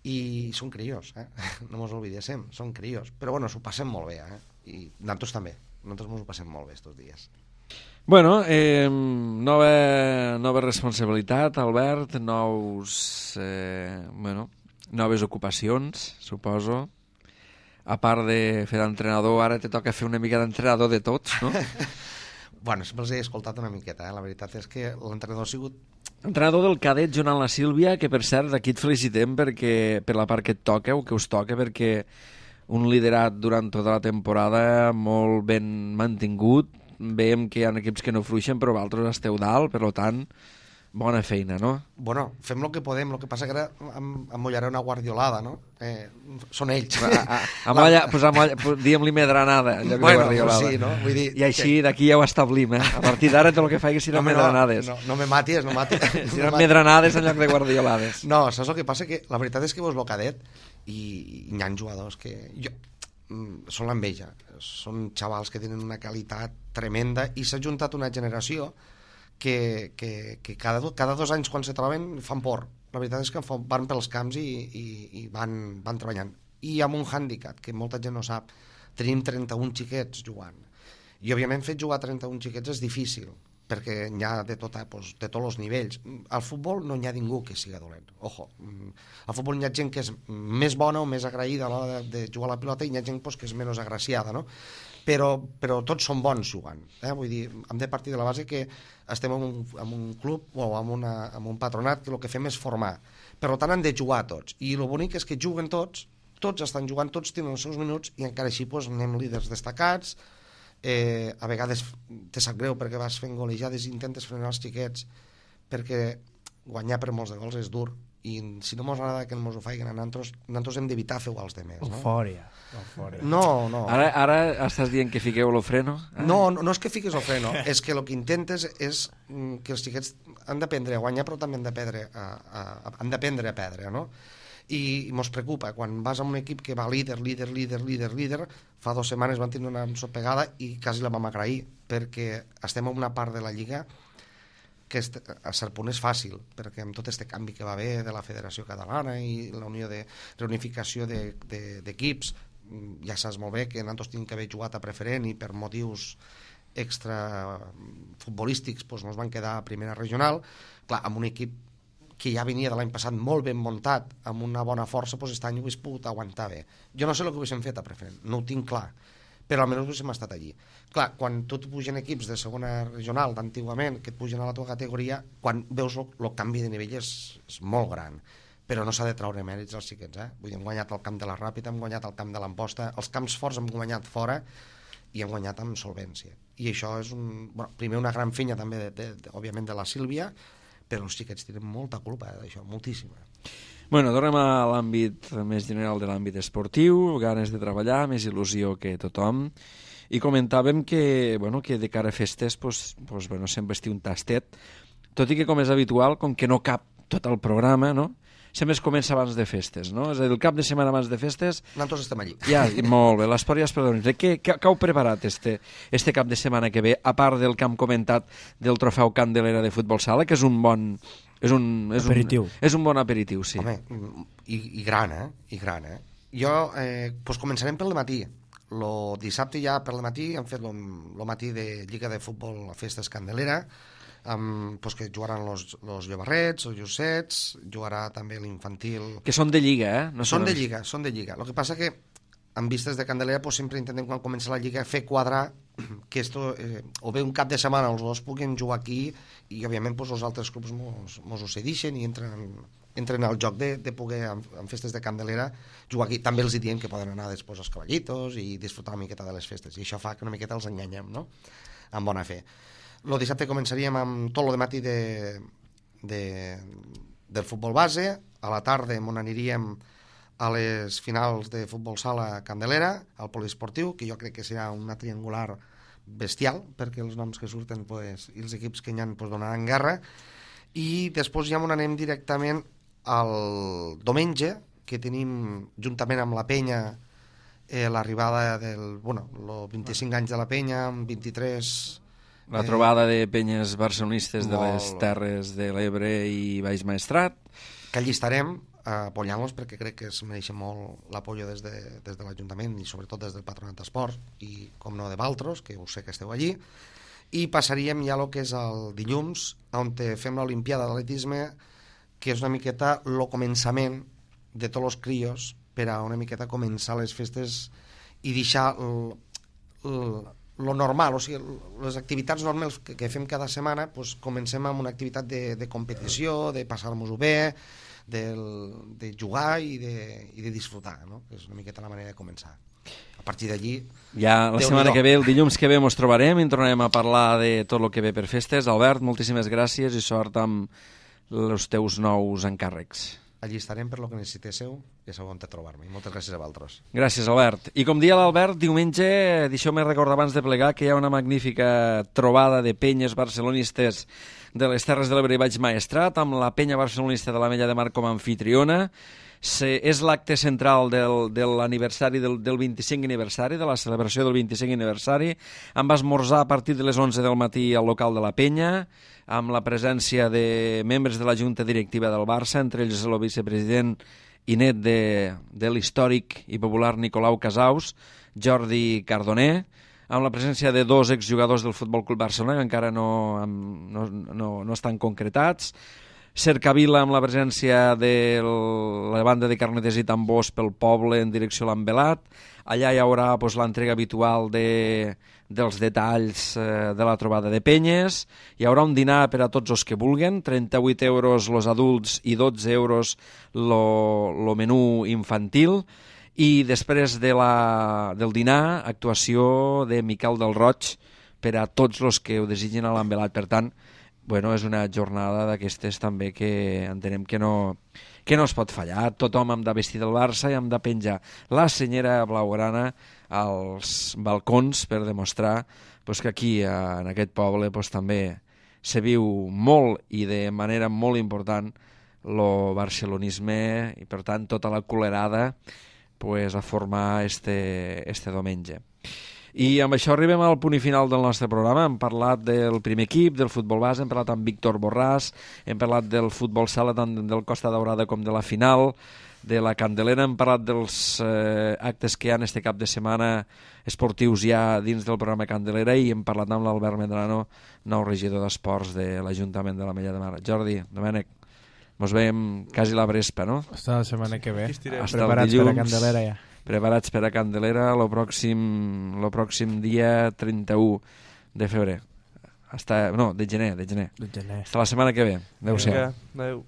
i són crios, eh? No mos oblidéssim, són crios, però bueno, s'ho passem molt bé, eh? I nosaltres també, nosaltres mos ho passem molt bé estos dies. Bueno, eh, nova, nova responsabilitat, Albert, nous, eh, bueno, noves ocupacions, suposo. A part de fer d'entrenador, ara te toca fer una mica d'entrenador de tots, no? Bueno, sempre els he escoltat una miqueta, eh? La veritat és que l'entrenador ha sigut... Entrenador del cadet, Joan la Sílvia, que per cert, aquí et felicitem perquè, per la part que et toca, o que us toca, perquè un liderat durant tota la temporada molt ben mantingut. Veiem que hi ha equips que no fluixen, però vosaltres esteu dalt, per tant, bona feina, no? Bueno, fem el que podem, el que passa que ara em, em mullaré una guardiolada, no? Eh, són ells. A, a, a molla, pues a molla, pues, diguem-li medranada, en lloc bueno, de guardiolada. Sí, no? Vull dir, I així d'aquí ja ho establim, eh? A partir d'ara tot el que faig seran no, medranades. No, no, no me matis, no matis. Seran medranades en lloc de guardiolades. No, saps el que passa? Que la veritat és que vos lo cadet i, i hi ha jugadors que... Jo, són l'enveja, són xavals que tenen una qualitat tremenda i s'ha juntat una generació que, que, que cada, do, cada dos anys quan se troben fan por. La veritat és que van pels camps i, i, i van, van treballant. I amb un hàndicap que molta gent no sap, tenim trenta-un xiquets jugant. I òbviament fer jugar trenta-un xiquets és difícil, perquè n'hi ha de, tota, pues, de tots els nivells. Al futbol no n'hi ha ningú que siga dolent, ojo. Al futbol n'hi ha gent que és més bona o més agraïda a l'hora de, de jugar a la pilota i n'hi ha gent pues, que és menys agraciada, no? Però, però tots són bons jugant, eh? Vull dir, hem de partir de la base que estem en un, en un club o en, una, en un patronat que el que fem és formar. Per tant, han de jugar tots. I el bonic és que juguen tots, tots estan jugant, tots tenen els seus minuts i encara així pues, anem líders destacats. Eh, a vegades te sap greu perquè vas fent golejades i intentes frenar els xiquets perquè guanyar per molts de gols és dur i si no mos agrada que mos ho faiguen a nosaltres, nosaltres hem d'evitar fer els demés, no? Eufòria, eufòria. No, no. Ara, ara estàs dient que fiqueu el freno? Ah. No, no, no és que fiquis el freno, és que el que intentes és que els xiquets han d'aprendre a guanyar però també han d'aprendre a, a, han d'aprendre a perdre, no? I mos preocupa, quan vas a un equip que va líder, líder, líder, líder, líder, fa dues setmanes van tenir una ensopegada i quasi la vam agrair, perquè estem en una part de la Lliga que a cert punt és fàcil, perquè amb tot aquest canvi que va haver de la Federació Catalana i la unió de reunificació d'equips, ja saps molt bé que nosaltres tenim que haver jugat a preferent i per motius extra futbolístics doncs ens van quedar a primera regional. Clar, amb un equip que ja venia de l'any passat molt ben muntat, amb una bona força, doncs aquest any ho hagués pogut aguantar bé. Jo no sé el que haguéssim fet a preferent, no ho tinc clar, però almenys haguéssim estat allí. Clar, quan tu et pugen equips de segona regional d'antigament, que et pugen a la teva categoria, quan veus el canvi de nivell és, és molt gran, però no s'ha de traure mèrits als xiquets, eh? Vull dir, hem guanyat el camp de la Ràpita, hem guanyat el camp de l'Amposta, els camps forts hem guanyat fora i hem guanyat amb solvència. I això és, un, bueno, primer una gran feina també, de, de, de, òbviament, de la Sílvia, però els xiquets tenen molta culpa d'això, moltíssima. Bueno, tornem a l'àmbit més general de l'àmbit esportiu, ganes de treballar, més il·lusió que tothom, i comentàvem que, bueno, que de cara a festes pues, pues, bueno, sempre estigui un tastet, tot i que com és habitual, com que no cap tot el programa, no? Sempre es comença abans de festes, no? És a dir, el cap de setmana abans de festes... Nosaltres estem allí. Ja, molt bé, l'esport ja es perdona. Què, què, què heu preparat este, este cap de setmana que ve, a part del que hem comentat del trofeu Candelera de futbol sala, que és un bon... És un, és aperitiu. Un, és un bon aperitiu, sí. Home, i, i gran, eh? I gran, eh? Jo, eh, doncs començarem pel matí. el dissabte ja per la matí hem fet el matí de Lliga de Futbol a Festes Candelera, amb, pues, que jugaran els Llobarrets, els Llucets, jugarà també l'infantil... Que són de Lliga, eh? No són de Lliga, són de Lliga. El que passa que en vistes de Candelera pues, sempre intentem quan comença la Lliga fer quadrar que esto, eh, o bé un cap de setmana els dos puguin jugar aquí i òbviament pues, els altres clubs mos, mos ho cedixen i entren, entren al joc de, de poder en, en festes de Candelera jugar aquí. També els diem que poden anar després als cavallitos i disfrutar una miqueta de les festes i això fa que una miqueta els enganyem, no? Amb bona fe. El dissabte començaríem amb tot el matí de, de, del futbol base, a la tarda on aniríem a les finals de futbol sala Candelera, al poliesportiu, que jo crec que serà una triangular bestial, perquè els noms que surten pues, i els equips que hi ha pues, donaran guerra, i després ja anem directament al diumenge, que tenim juntament amb la Penya eh, l'arribada del, bueno, els vint-i-cinc anys de la Penya, amb vint-i-tres... La trobada de penyes barcelonistes de les Terres de l'Ebre i Baix Maestrat. Que allí estarem apoyant-los perquè crec que es mereixen molt l'apoyo des de, des de l'Ajuntament i sobretot des del Patronat d'Esports i com no de Valtros, que ho sé que esteu allí. I passaríem ja el que és el dilluns, on fem l'Olimpiada d'Atletisme, que és una miqueta el començament de tots els crios per a una miqueta començar les festes i deixar el, el lo normal, o sigui, les activitats normals que, que fem cada setmana, pues, comencem amb una activitat de, de competició, de passar-nos-ho bé, de, de jugar i de, i de disfrutar, no? Que és una miqueta la manera de començar. A partir d'allí... Ja la setmana que ve, el dilluns que ve, ens trobarem i en tornarem a parlar de tot el que ve per festes. Albert, moltíssimes gràcies i sort amb els teus nous encàrrecs. Allí estarem per lo que necessitéssiu, ja sabeu on trobar-me. Moltes gràcies a vosaltres. Gràcies, Albert. I com dia l'Albert, diumenge, deixeu-me recordar abans de plegar que hi ha una magnífica trobada de penyes barcelonistes de les Terres de l'Ebre i Baix Maestrat, amb la penya barcelonista de l'Ametlla de Mar com a anfitriona. Se, és l'acte central del, de l'aniversari del, del vint-i-cinc aniversari, de la celebració del vint-i-cinc aniversari. Em va esmorzar a partir de les onze del matí al local de la penya, amb la presència de membres de la Junta Directiva del Barça, entre ells el vicepresident i net de, de l'històric i popular Nicolau Casaus, Jordi Cardoner, amb la presència de dos exjugadors del Futbol Club Barcelona, que encara no, no, no, no estan concretats, Cercavila amb la presència de la banda de carneters i tambors pel poble en direcció a l'Envelat. Allà hi haurà pues, l'entrega habitual de, dels detalls eh, de la trobada de penyes. Hi haurà un dinar per a tots els que vulguen, trenta-vuit euros els adults i dotze euros el menú infantil. I després de la, del dinar, actuació de Miquel del Roig per a tots els que ho desitgin a l'Envelat. Per tant, bueno, és una jornada d'aquestes també que entenem que no, que no es pot fallar. Tothom hem de vestir del Barça i hem de penjar la senyera blaugrana als balcons per demostrar pues, que aquí, en aquest poble, pues, també se viu molt i de manera molt important el barcelonisme i, per tant, tota la culerada pues, a formar este, este diumenge. I amb això arribem al punt i final del nostre programa. Hem parlat del primer equip, del futbol base, hem parlat amb Víctor Borràs, hem parlat del futbol sala tant del Costa Daurada com de la final, de la Candelera, hem parlat dels eh, actes que hi ha este cap de setmana esportius ja dins del programa Candelera i hem parlat amb l'Albert Medrano, nou regidor d'Esports de l'Ajuntament de l'Ametlla de Mar. Jordi, Domènec, mos veiem quasi la Brespa, no? Hasta la setmana que ve. Hasta Preparats dilluns, per a Candelera ja. Preparats per a Candelera el pròxim, lo pròxim dia trenta-u de febrer. Hasta, no, de gener, de gener. De gener. Hasta la setmana que ve. Adéu-siau. Adéu.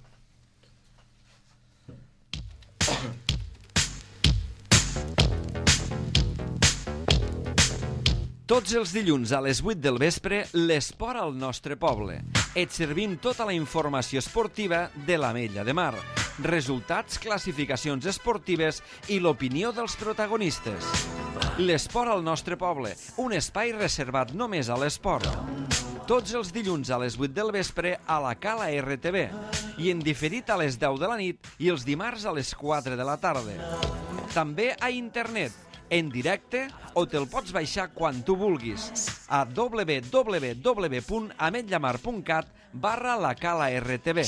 Tots els dilluns a les vuit del vespre, l'esport al nostre poble. Et servim tota la informació esportiva de l'Ametlla de Mar. Resultats, classificacions esportives i l'opinió dels protagonistes. L'esport al nostre poble, un espai reservat només a l'esport. Tots els dilluns a les vuit del vespre a la Cala R T V i en diferit a les deu de la nit i els dimarts a les quatre de la tarda. També a internet, en directe o te'l pots baixar quan tu vulguis a w w w punt ametllamar punt cat barra la Cala R T V.